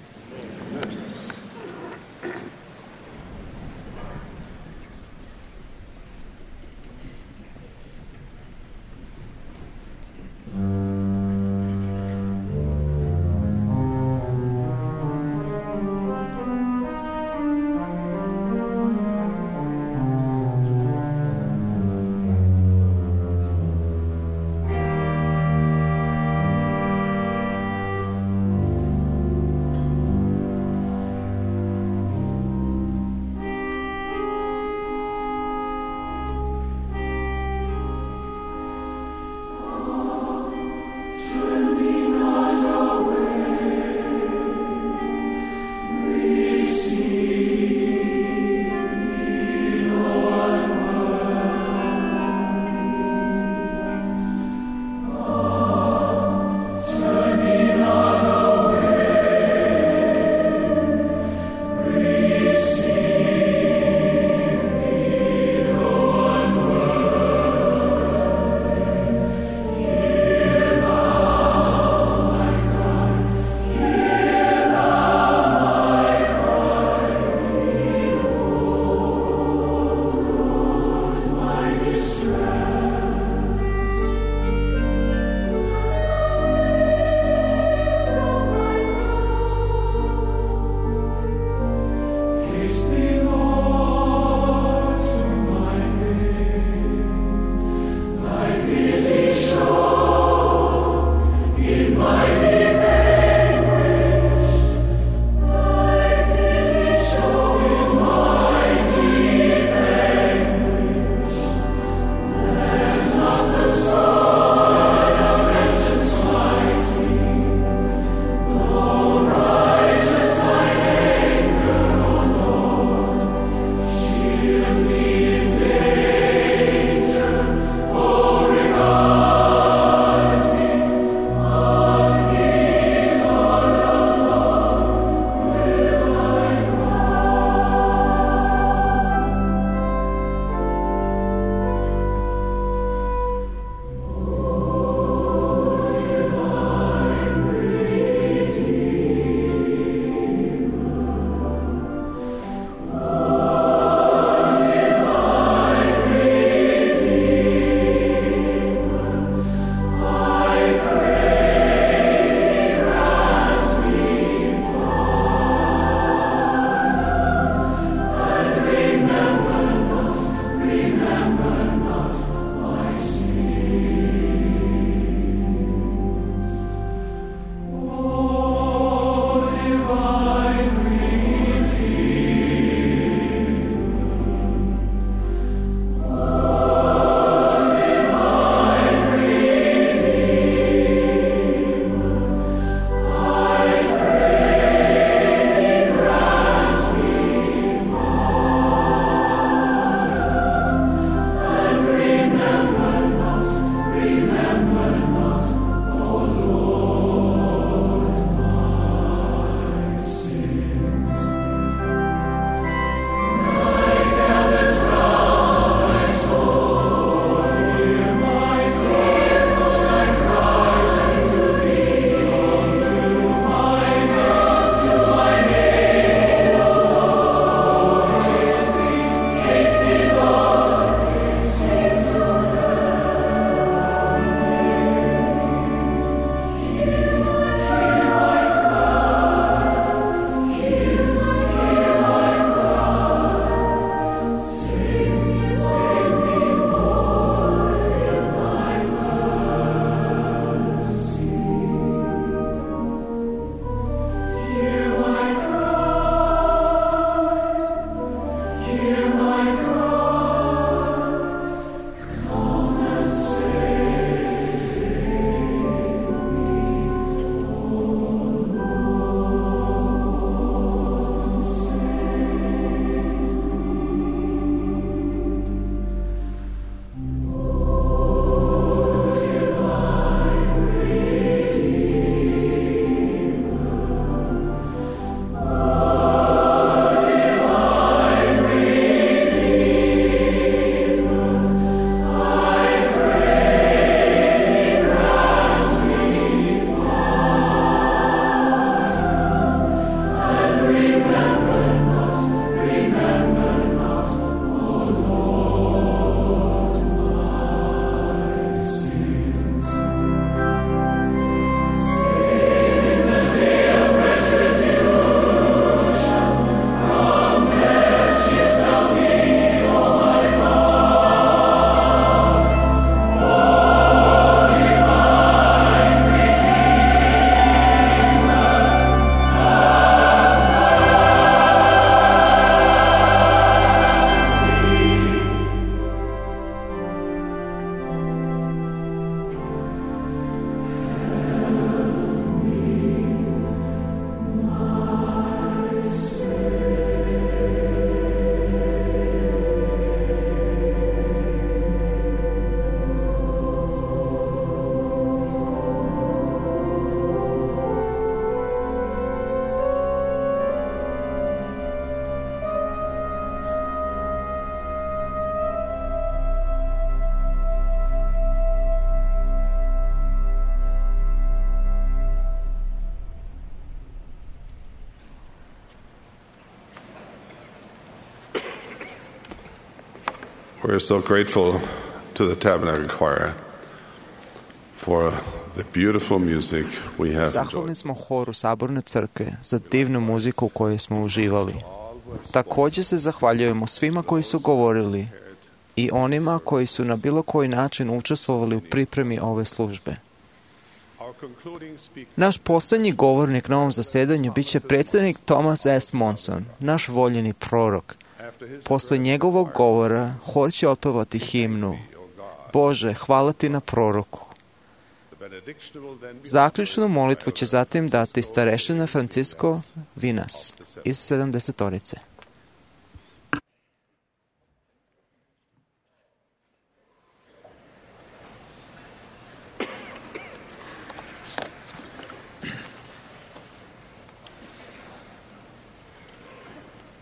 [SPEAKER 11] We're so grateful to the Tabernacle Choir for the beautiful music we have
[SPEAKER 9] Zahvalni smo horu Saborne crkve za divnu muziku u kojoj smo uživali. Također se zahvaljujemo svima koji su govorili i onima koji su na bilo koji način učestvovali u pripremi ove službe. Naš posljednji govornik na ovom zasedanju bit će predsjednik Thomas S. Monson, naš voljeni prorok. Posle njegovog govora hor će otpevati himnu Bože, hvala ti na proroku. Zaključnu molitvu će zatim dati starešina Francisco Vinas iz 70-orice.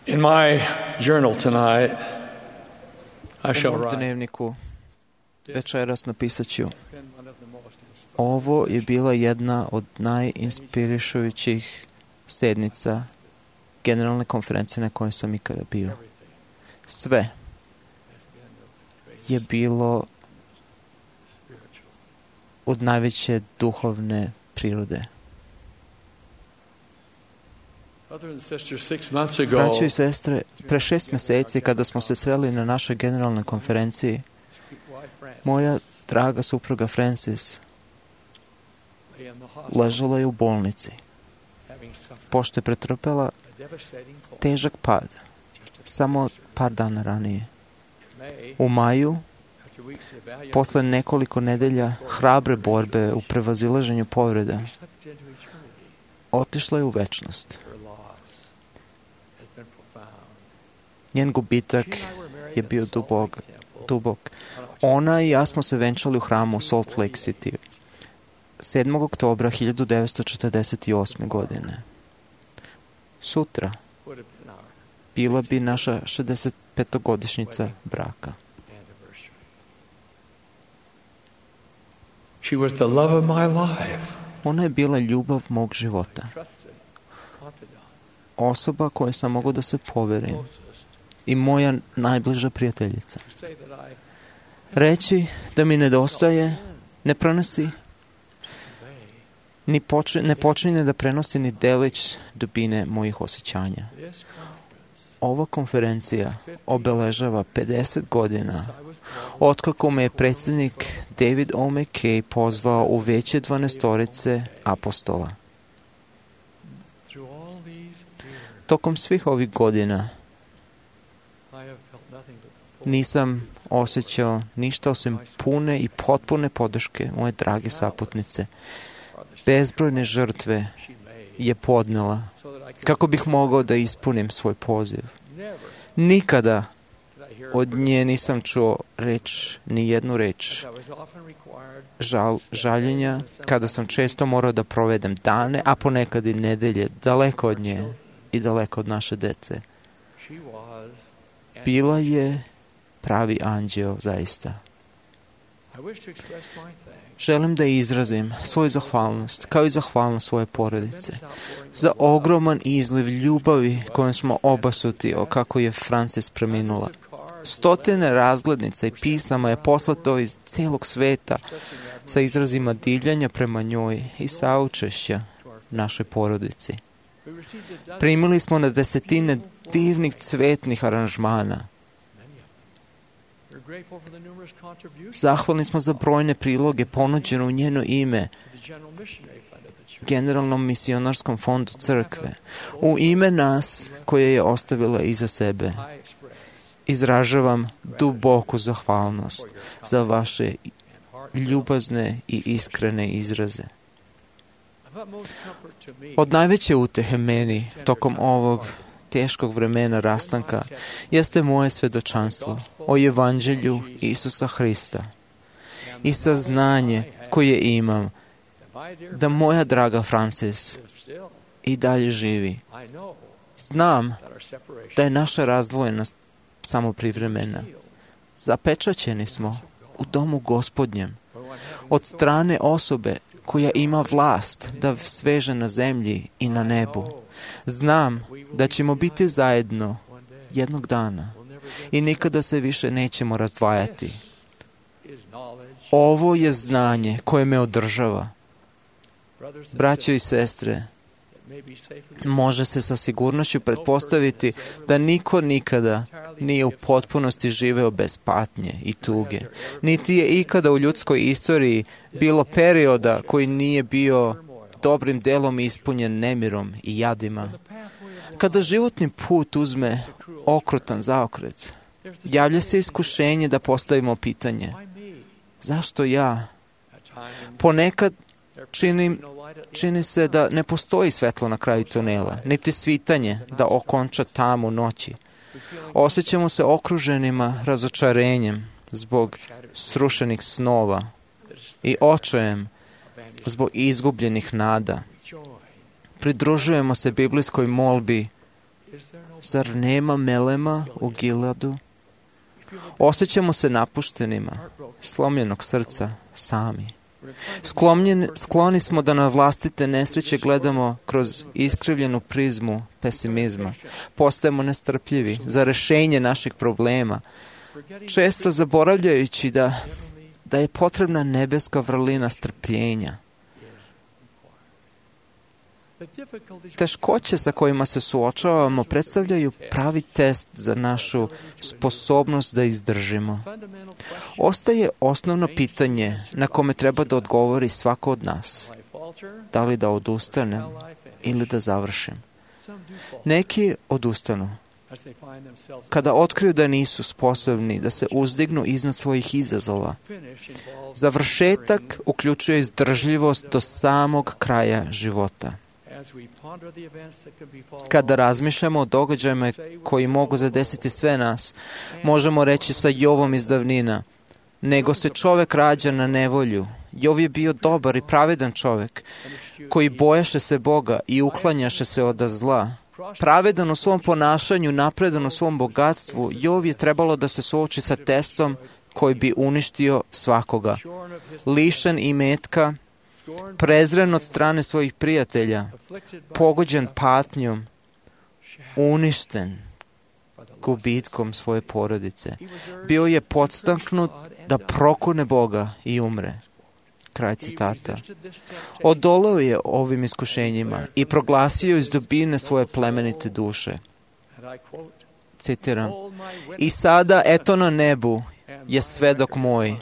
[SPEAKER 12] In my journal tonight, I shall
[SPEAKER 9] U
[SPEAKER 12] write,
[SPEAKER 9] dnevniku večeras napisat ću: ovo je bila jedna od najinspirišujućih sednica generalne konferencije na kojoj sam ikada bio. Sve je bilo od najveće duhovne prirode. Braćo i sestre, pre 6 mjeseci kada smo se sreli na našoj generalnoj konferenciji, moja draga supruga Francis ležala je u bolnici, pošto je pretrpela težak pad samo par dana ranije. U maju, posle nekoliko nedelja hrabre borbe u prevazilaženju povreda, otišla je u večnost. Njen gubitak je bio dubok. Ona i ja smo se venčali u hramu u Salt Lake City 7. oktobra 1948. godine. Sutra bila bi naša 65-godišnjica braka.
[SPEAKER 12] she was the love of my life.
[SPEAKER 9] Ona je bila ljubav mog života. Osoba kojoj sam mogao da se poverim i moja najbliža prijateljica. Reći da mi nedostaje, ne prenosi, ne počinje da prenosi ni delić dubine mojih osjećanja. Ova konferencija obeležava 50 godina otkako me je predsjednik David O. McKay pozvao u veće 12-orice apostola. Tokom svih ovih godina nisam osjećao ništa osim pune i potpune podrške moje drage saputnice. Bezbrojne žrtve je podnela kako bih mogao da ispunim svoj poziv. Nikada od nje nisam čuo ni jednu reč žaljenja, kada sam često morao da provedem dane, a ponekad i nedelje, daleko od nje i daleko od naše dece. Bila je pravi anđeo, zaista. Želim da izrazim svoju zahvalnost, kao i zahvalnost svoje porodice, za ogroman izliv ljubavi kojom smo obasuti kako je Francis preminula. Stotine razglednica i pisama je poslato iz cijelog sveta sa izrazima divljanja prema njoj i saučešća našoj porodici. Primili smo na desetine divnih cvetnih aranžmana. Zahvalni smo za brojne priloge ponuđene u njeno ime Generalnom misionarskom fondu crkve. U ime nas koje je ostavila iza sebe. Izražavam duboku zahvalnost za vaše ljubazne i iskrene izraze. Od najveće utehe meni tokom ovog teškog vremena rastanka jeste moje svedočanstvo o Evanđelju Isusa Hrista i saznanje koje imam da moja draga Francis i dalje živi. Znam da je naša razdvojenost samo privremena. Zapečaćeni smo u domu Gospodnjem od strane osobe koja ima vlast da sveže na zemlji i na nebu. Znam da ćemo biti zajedno jednog dana i nikada se više nećemo razdvajati. Ovo je znanje koje me održava. Braćo i sestre, može se sa sigurnošću pretpostaviti da niko nikada nije u potpunosti živeo bez patnje i tuge. Niti je ikada u ljudskoj istoriji bilo perioda koji nije bio dobrim delom ispunjen nemirom i jadima. Kada životni put uzme okrutan zaokret, javlja se iskušenje da postavimo pitanje: zašto ja? Ponekad čini se da ne postoji svetlo na kraju tunela, niti svitanje da okonča tamu noći. Osjećamo se okruženima razočarenjem zbog srušenih snova i očajem zbog izgubljenih nada. Pridružujemo se biblijskoj molbi: zar nema melema u Giladu? Osjećamo se napuštenima, slomljenog srca, sami. Skloni smo da na vlastite nesreće gledamo kroz iskrivljenu prizmu pesimizma. Postajemo nestrpljivi za rešenje naših problema, često zaboravljajući da je potrebna nebeska vrlina strpljenja. Teškoće sa kojima se suočavamo predstavljaju pravi test za našu sposobnost da izdržimo. Ostaje osnovno pitanje na kome treba da odgovori svako od nas. Da li da odustanem ili da završim? Neki odustanu kada otkriju da nisu sposobni da se uzdignu iznad svojih izazova. Završetak uključuje izdržljivost do samog kraja života. Kada razmišljamo o događajima koji mogu zadesiti sve nas, možemo reći sa Jovom iz davnina: nego se čovek rađa na nevolju. Jov je bio dobar i pravedan čovek, koji bojaše se Boga i uklanjaše se od zla. Pravedan u svom ponašanju, napredan u svom bogatstvu, Jov je trebalo da se suoči sa testom koji bi uništio svakoga. Lišen imetka, prezren od strane svojih prijatelja, pogođen patnjom, uništen gubitkom svoje porodice. Bio je podstaknut da prokune Boga i umre. Kraj citata. Odoleo je ovim iskušenjima i proglasio iz dubine svoje plemenite duše. Citiram: i sada, eto na nebu, je svedok moj.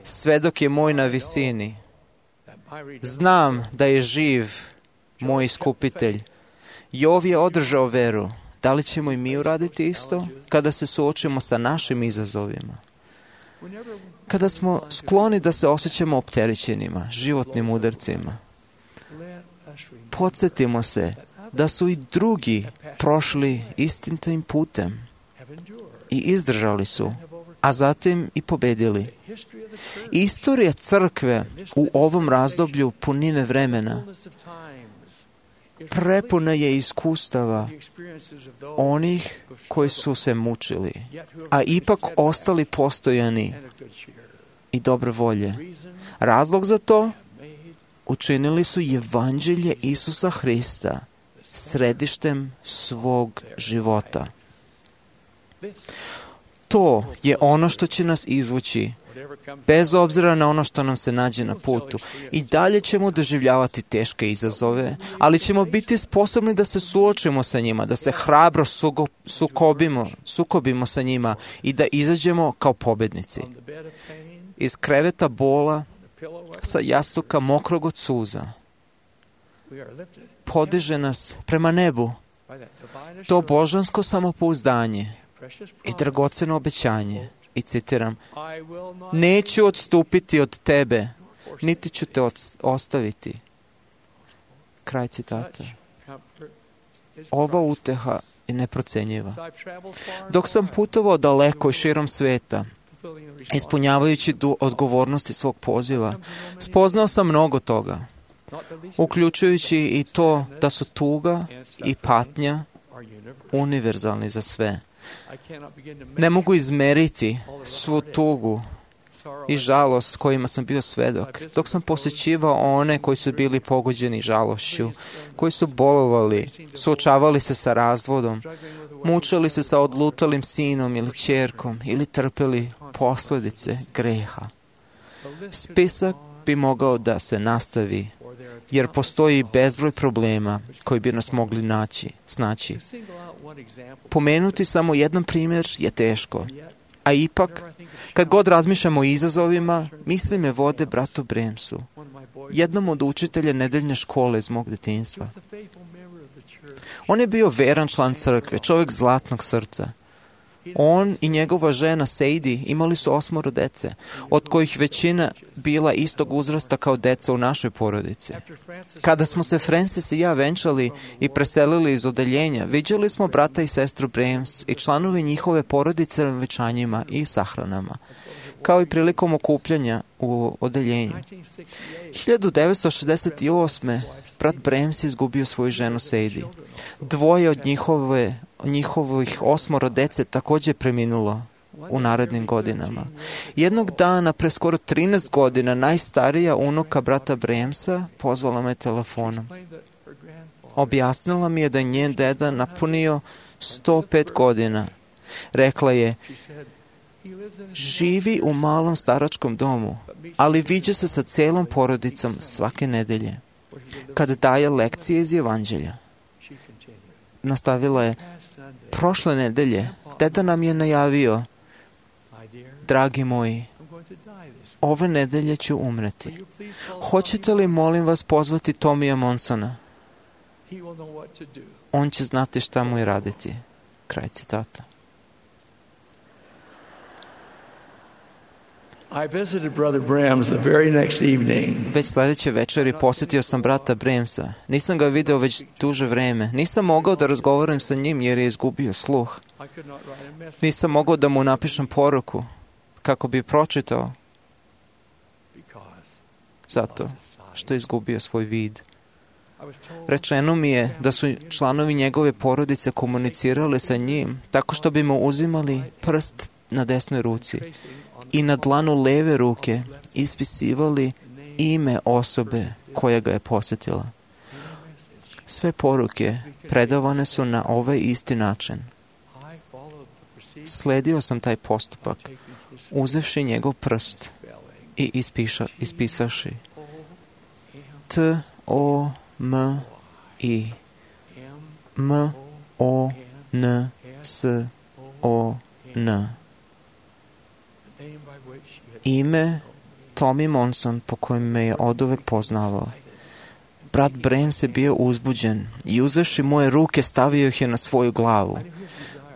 [SPEAKER 9] Svedok je moj na visini. Znam da je živ moj iskupitelj. Jov je održao veru. Da li ćemo i mi uraditi isto kada se suočimo sa našim izazovima? Kada smo skloni da se osjećamo opterećenima, životnim udarcima, podsjetimo se da su i drugi prošli istim tim putem i izdržali su, a zatim i pobedili. Istorija crkve u ovom razdoblju punine vremena prepuna je iskustava onih koji su se mučili, a ipak ostali postojani i dobre volje. Razlog za to učinili su Evanđelje Isusa Hrista središtem svog života. To je ono što će nas izvući, bez obzira na ono što nam se nađe na putu. I dalje ćemo doživljavati teške izazove, ali ćemo biti sposobni da se suočimo sa njima, da se hrabro sukobimo sa njima i da izađemo kao pobednici. Iz kreveta bola, sa jastuka mokrog od suza, podiže nas prema nebu to božansko samopouzdanje i dragoceno obećanje. I citiram: neću odstupiti od tebe, niti ću te ostaviti. Kraj citata. Ova uteha je neprocenjiva. Dok sam putovao daleko i širom sveta, ispunjavajući odgovornosti svog poziva, spoznao sam mnogo toga, uključujući i to da su tuga i patnja univerzalni za sve. Ne mogu izmeriti svu tugu i žalost kojima sam bio svedok, dok sam posjećivao one koji su bili pogođeni žalošću, koji su bolovali, suočavali se sa razvodom, mučili se sa odlutalim sinom ili kćerkom ili trpeli posljedice greha. Spisak bi mogao da se nastavi, jer postoji bezbroj problema koji bi nas mogli snaći. Pomenuti samo jedan primjer je teško, a ipak, kad god razmišljamo o izazovima, misli me vode bratu Bremsu, jednom od učitelja nedeljne škole iz mog detinjstva. On je bio veran član crkve, čovjek zlatnog srca. On i njegova žena Sadie imali su 8 dece, od kojih većina bila istog uzrasta kao deca u našoj porodici. Kada smo se Francis i ja venčali i preselili iz odeljenja, viđali smo brata i sestru Brems i članovi njihove porodice na venčanjima i sahranama, kao i prilikom okupljanja u odeljenju. 1968. brat Brems je izgubio svoju ženu Sadie. 2 od njihovih 8 dece također preminulo u narednim godinama. Jednog dana, pre skoro 13 godina, najstarija unuka brata Bremsa pozvala me telefonom. Objasnila mi je da je njen deda napunio 105 godina. Rekla je, živi u malom staračkom domu, ali viđa se sa celom porodicom svake nedelje, kad daje lekcije iz Evanđelja. Nastavila je, prošle nedelje deda nam je najavio, dragi moji, ove nedelje ću umreti. Hoćete li, molim vas, pozvati Tomija Monsona? On će znati šta mu je raditi. Kraj citata. Već sljedeće večeri posjetio sam brata Bremsa. Nisam ga video već duže vreme. Nisam mogao da razgovaram sa njim jer je izgubio sluh. Nisam mogao da mu napišem poruku kako bi pročitao, zato što je izgubio svoj vid. Rečeno mi je da su članovi njegove porodice komunicirali sa njim tako što bi mu uzimali prst na desnoj ruci i na dlanu leve ruke ispisivali ime osobe koja ga je posjetila. Sve poruke predavane su na ovaj isti način. Sledio sam taj postupak, uzevši njegov prst i ispisavši T-O-M-I M-O-N-S-O-N. Ime Tommy Monson, po kojem me je oduvek poznavao. Brat Brems je bio uzbuđen i uzevši moje ruke stavio ih je na svoju glavu.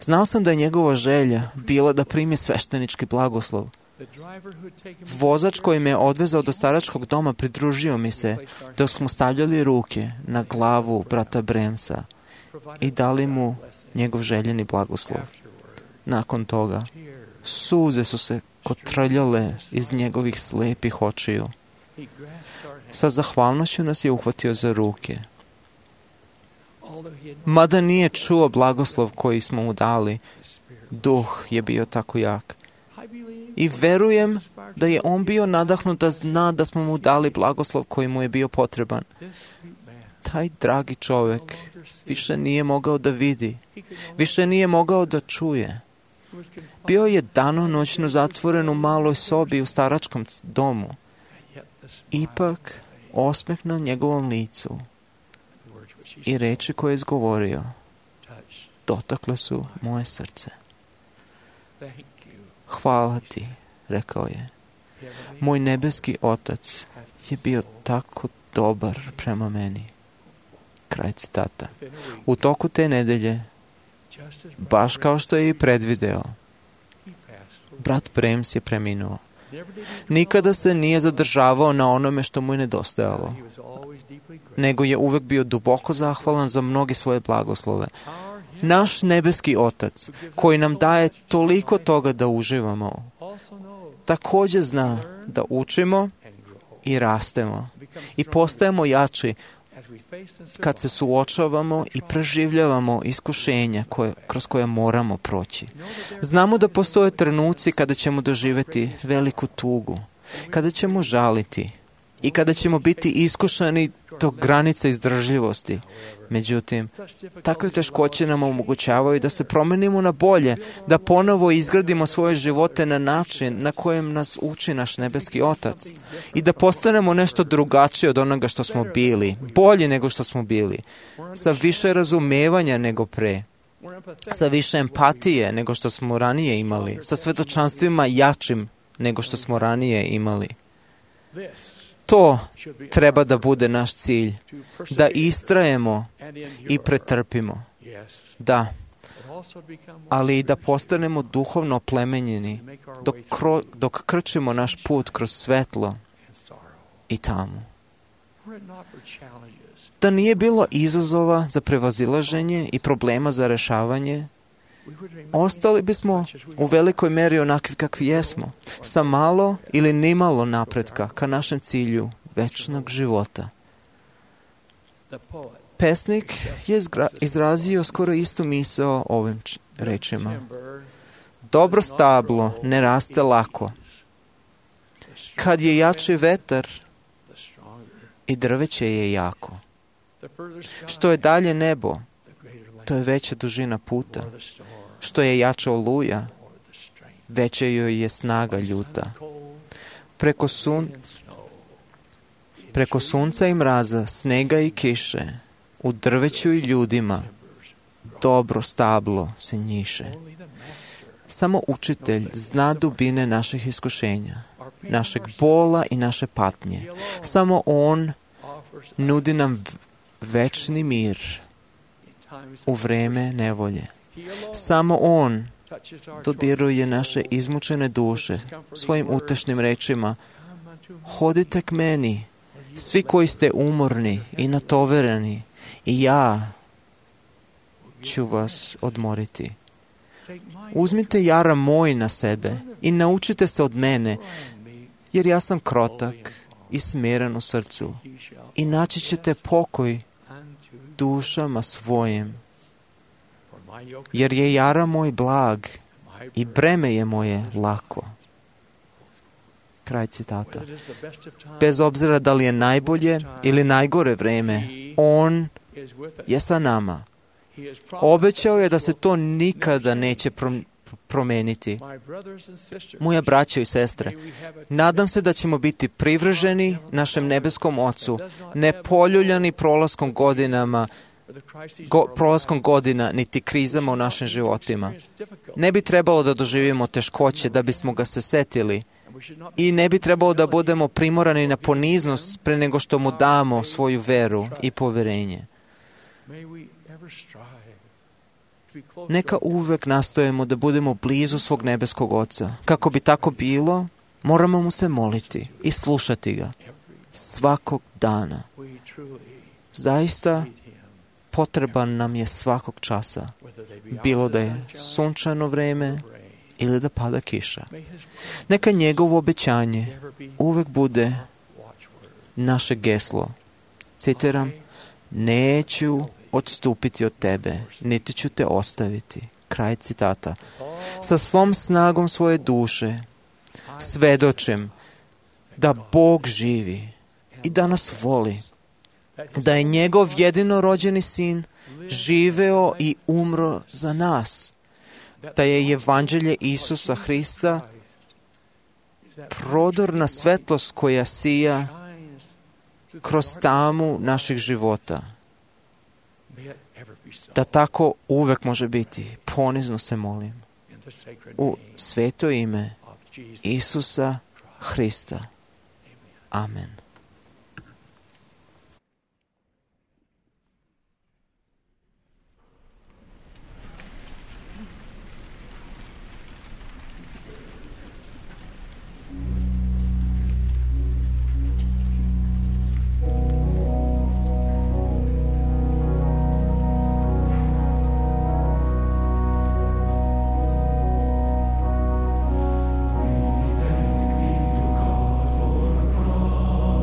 [SPEAKER 9] Znao sam da je njegova želja bila da primi sveštenički blagoslov. Vozač koji me je odvezao do staračkog doma pridružio mi se dok smo stavljali ruke na glavu brata Bremsa i dali mu njegov željeni blagoslov. Nakon toga, suze su se kotrljale iz njegovih slijepih očiju. Sa zahvalnošću nas je uhvatio za ruke. Mada nije čuo blagoslov koji smo mu dali, duh je bio tako jak. I verujem da je on bio nadahnut da zna da smo mu dali blagoslov koji mu je bio potreban. Taj dragi čovjek više nije mogao da vidi, više nije mogao da čuje. Bio je danonoćno zatvoren u maloj sobi u staračkom domu. Ipak, osmeh na njegovom licu i reči koje je izgovorio dotakle su moje srce. Hvala ti, rekao je. Moj nebeski otac je bio tako dobar prema meni. Kraj citata. U toku te nedelje, baš kao što je i predvideo, brat Brems je preminuo. Nikada se nije zadržavao na onome što mu je nedostajalo, nego je uvek bio duboko zahvalan za mnoge svoje blagoslove. Naš nebeski otac, koji nam daje toliko toga da uživamo, također zna da učimo i rastemo i postajemo jači kad se suočavamo i preživljavamo iskušenja kroz koje moramo proći. Znamo da postoje trenuci kada ćemo doživjeti veliku tugu, kada ćemo žaliti i kada ćemo biti iskušani to granica izdržljivosti. Međutim, takve teškoće nam omogućavaju da se promenimo na bolje, da ponovo izgradimo svoje živote na način na kojem nas uči naš nebeski Otac i da postanemo nešto drugačije od onoga što smo bili, bolji nego što smo bili, sa više razumevanja nego pre, sa više empatije nego što smo ranije imali, sa svjedočanstvima jačim nego što smo ranije imali. To treba da bude naš cilj, da istrajemo i pretrpimo. Da, ali i da postanemo duhovno oplemenjeni dok krčimo naš put kroz svetlo i tamu. Da nije bilo izazova za prevazilaženje i problema za rešavanje, ostali bismo u velikoj meri onakvi kakvi jesmo, sa malo ili nimalo napretka ka našem cilju večnog života. Pesnik je izrazio skoro istu misao ovim rečima. Dobro stablo ne raste lako. Kad je jači vetar, i drveće je jako. Što je dalje nebo, to je veća dužina puta. Što je jača oluja, veća joj je snaga ljuta. Preko sunca i mraza, snega i kiše, u drveću i ljudima, dobro stablo se njiše. Samo učitelj zna dubine naših iskušenja, našeg bola i naše patnje. Samo on nudi nam večni mir u vreme nevolje. Samo on dodiruje naše izmučene duše svojim utešnim rečima. Hodite k meni, svi koji ste umorni i natovereni, i ja ću vas odmoriti. Uzmite jara moj na sebe i naučite se od mene, jer ja sam krotak i smiren u srcu, i naći ćete pokoj dušama svojim. Jer je jara moj blag i breme je moje lako. Kraj citata. Bez obzira da li je najbolje ili najgore vreme, on je sa nama. Obećao je da se to nikada neće promeniti. Moja braćo i sestre, nadam se da ćemo biti privrženi našem nebeskom Ocu, ne poljuljani prolaskom godina niti krizama u našim životima. Ne bi trebalo da doživimo teškoće da bismo ga se setili i ne bi trebalo da budemo primorani na poniznost pre nego što mu damo svoju veru i poverenje. Neka uvek nastojimo da budemo blizu svog nebeskog Oca. Kako bi tako bilo, moramo mu se moliti i slušati ga svakog dana. Zaista potreban nam je svakog časa, bilo da je sunčano vreme ili da pada kiša. Neka njegovo obećanje uvek bude naše geslo. Citiram, neću odstupiti od tebe, niti ću te ostaviti. Kraj citata. Sa svom snagom svoje duše svedočim da Bog živi i da nas voli, da je njegov jedinorođeni sin živeo i umro za nas, da je evanđelje Isusa Hrista prodorna svetlost koja sija kroz tamu naših života. Da tako uvek može biti. Ponizno se molim. U sveto ime Isusa Hrista. Amen.
[SPEAKER 13] Thank you, God, for the promise.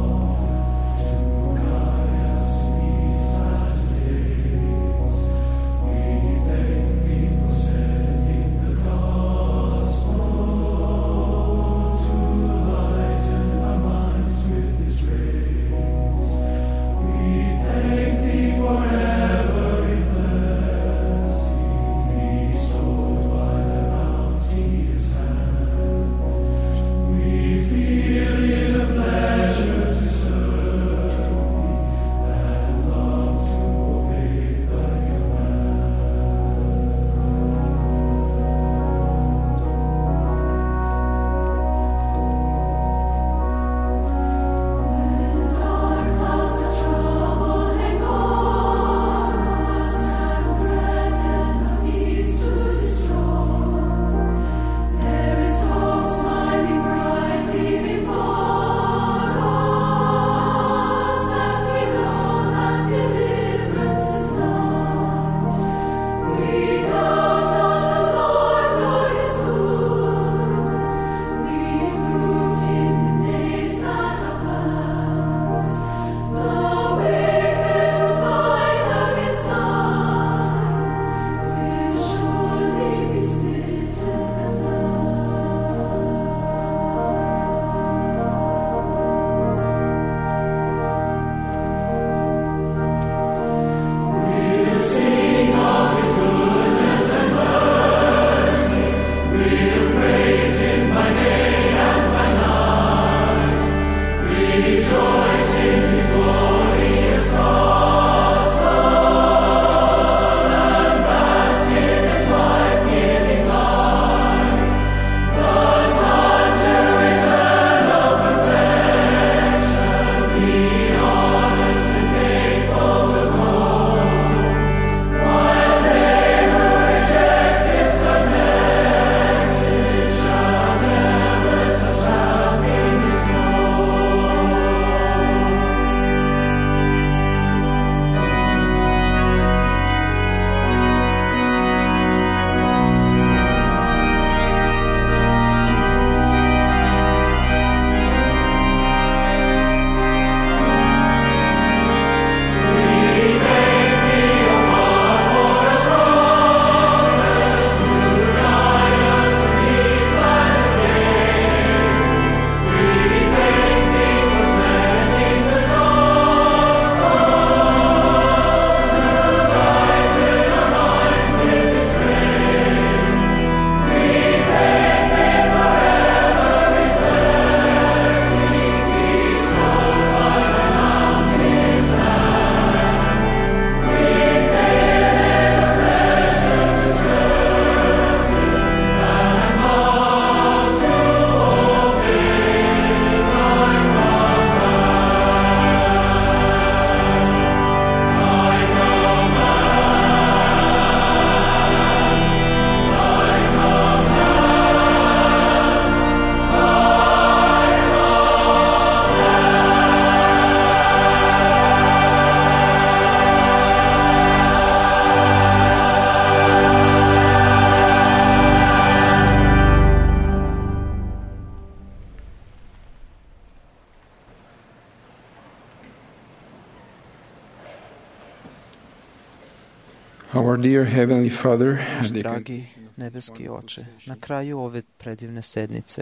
[SPEAKER 12] Our dear Heavenly Father,
[SPEAKER 9] Naš dragi nebeski Oče, na kraju ove predivne sednice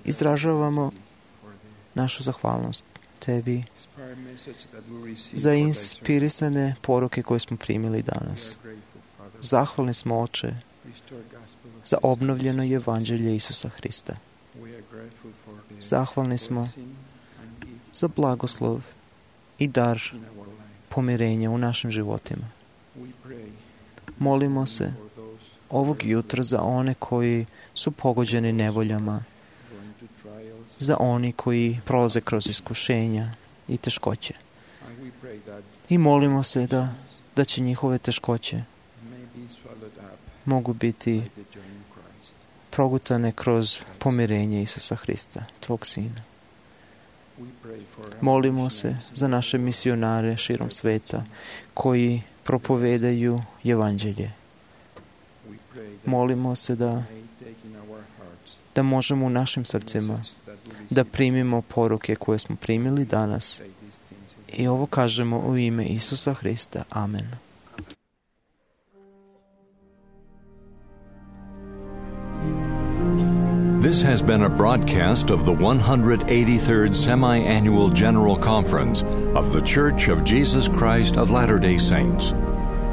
[SPEAKER 9] izražavamo našu zahvalnost Tebi za inspirisane poruke koje smo primili danas. Zahvalni smo, Oče, za obnovljeno evanđelje Isusa Hrista. Zahvalni smo za blagoslov i dar pomirenja u našim životima. Molimo se ovog jutra za one koji su pogođeni nevoljama, za oni koji prolaze kroz iskušenja i teškoće. I molimo se da će njihove teškoće mogu biti progutane kroz pomirenje Isusa Hrista, Tvog Sina. Molimo se za naše misionare širom sveta koji propovedaju evanđelje. Molimo se da možemo u našim srcima da primimo poruke koje smo primili danas i ovo kažemo u ime Isusa Hrista. Amen.
[SPEAKER 1] This has been a broadcast of the 183rd Semi-Annual General Conference of The Church of Jesus Christ of Latter-day Saints.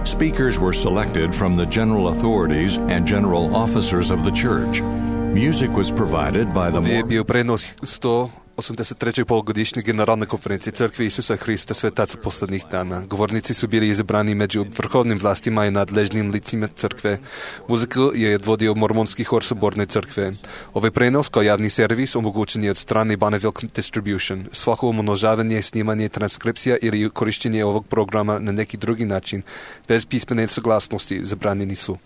[SPEAKER 1] Speakers were selected from the general authorities and general officers of the church. Music was provided by the...
[SPEAKER 2] Je bio prenos 183. polugodišnje generalne konferencije Crkve Isusa Hrista Svetaca poslednjih dana. Govornici su bili izabrani među vrhovnim vlastima i nadležnim licima Crkve. Muziku je odvodio Mormonski hor Soborne Crkve. Ovaj prenos kao javni servis omogućen je od strane Bonneville Distribution. Svako umnožavanje, snimanje, transkripcija ili korištenje ovog programa na neki drugi način bez pismene saglasnosti zabranjeni su.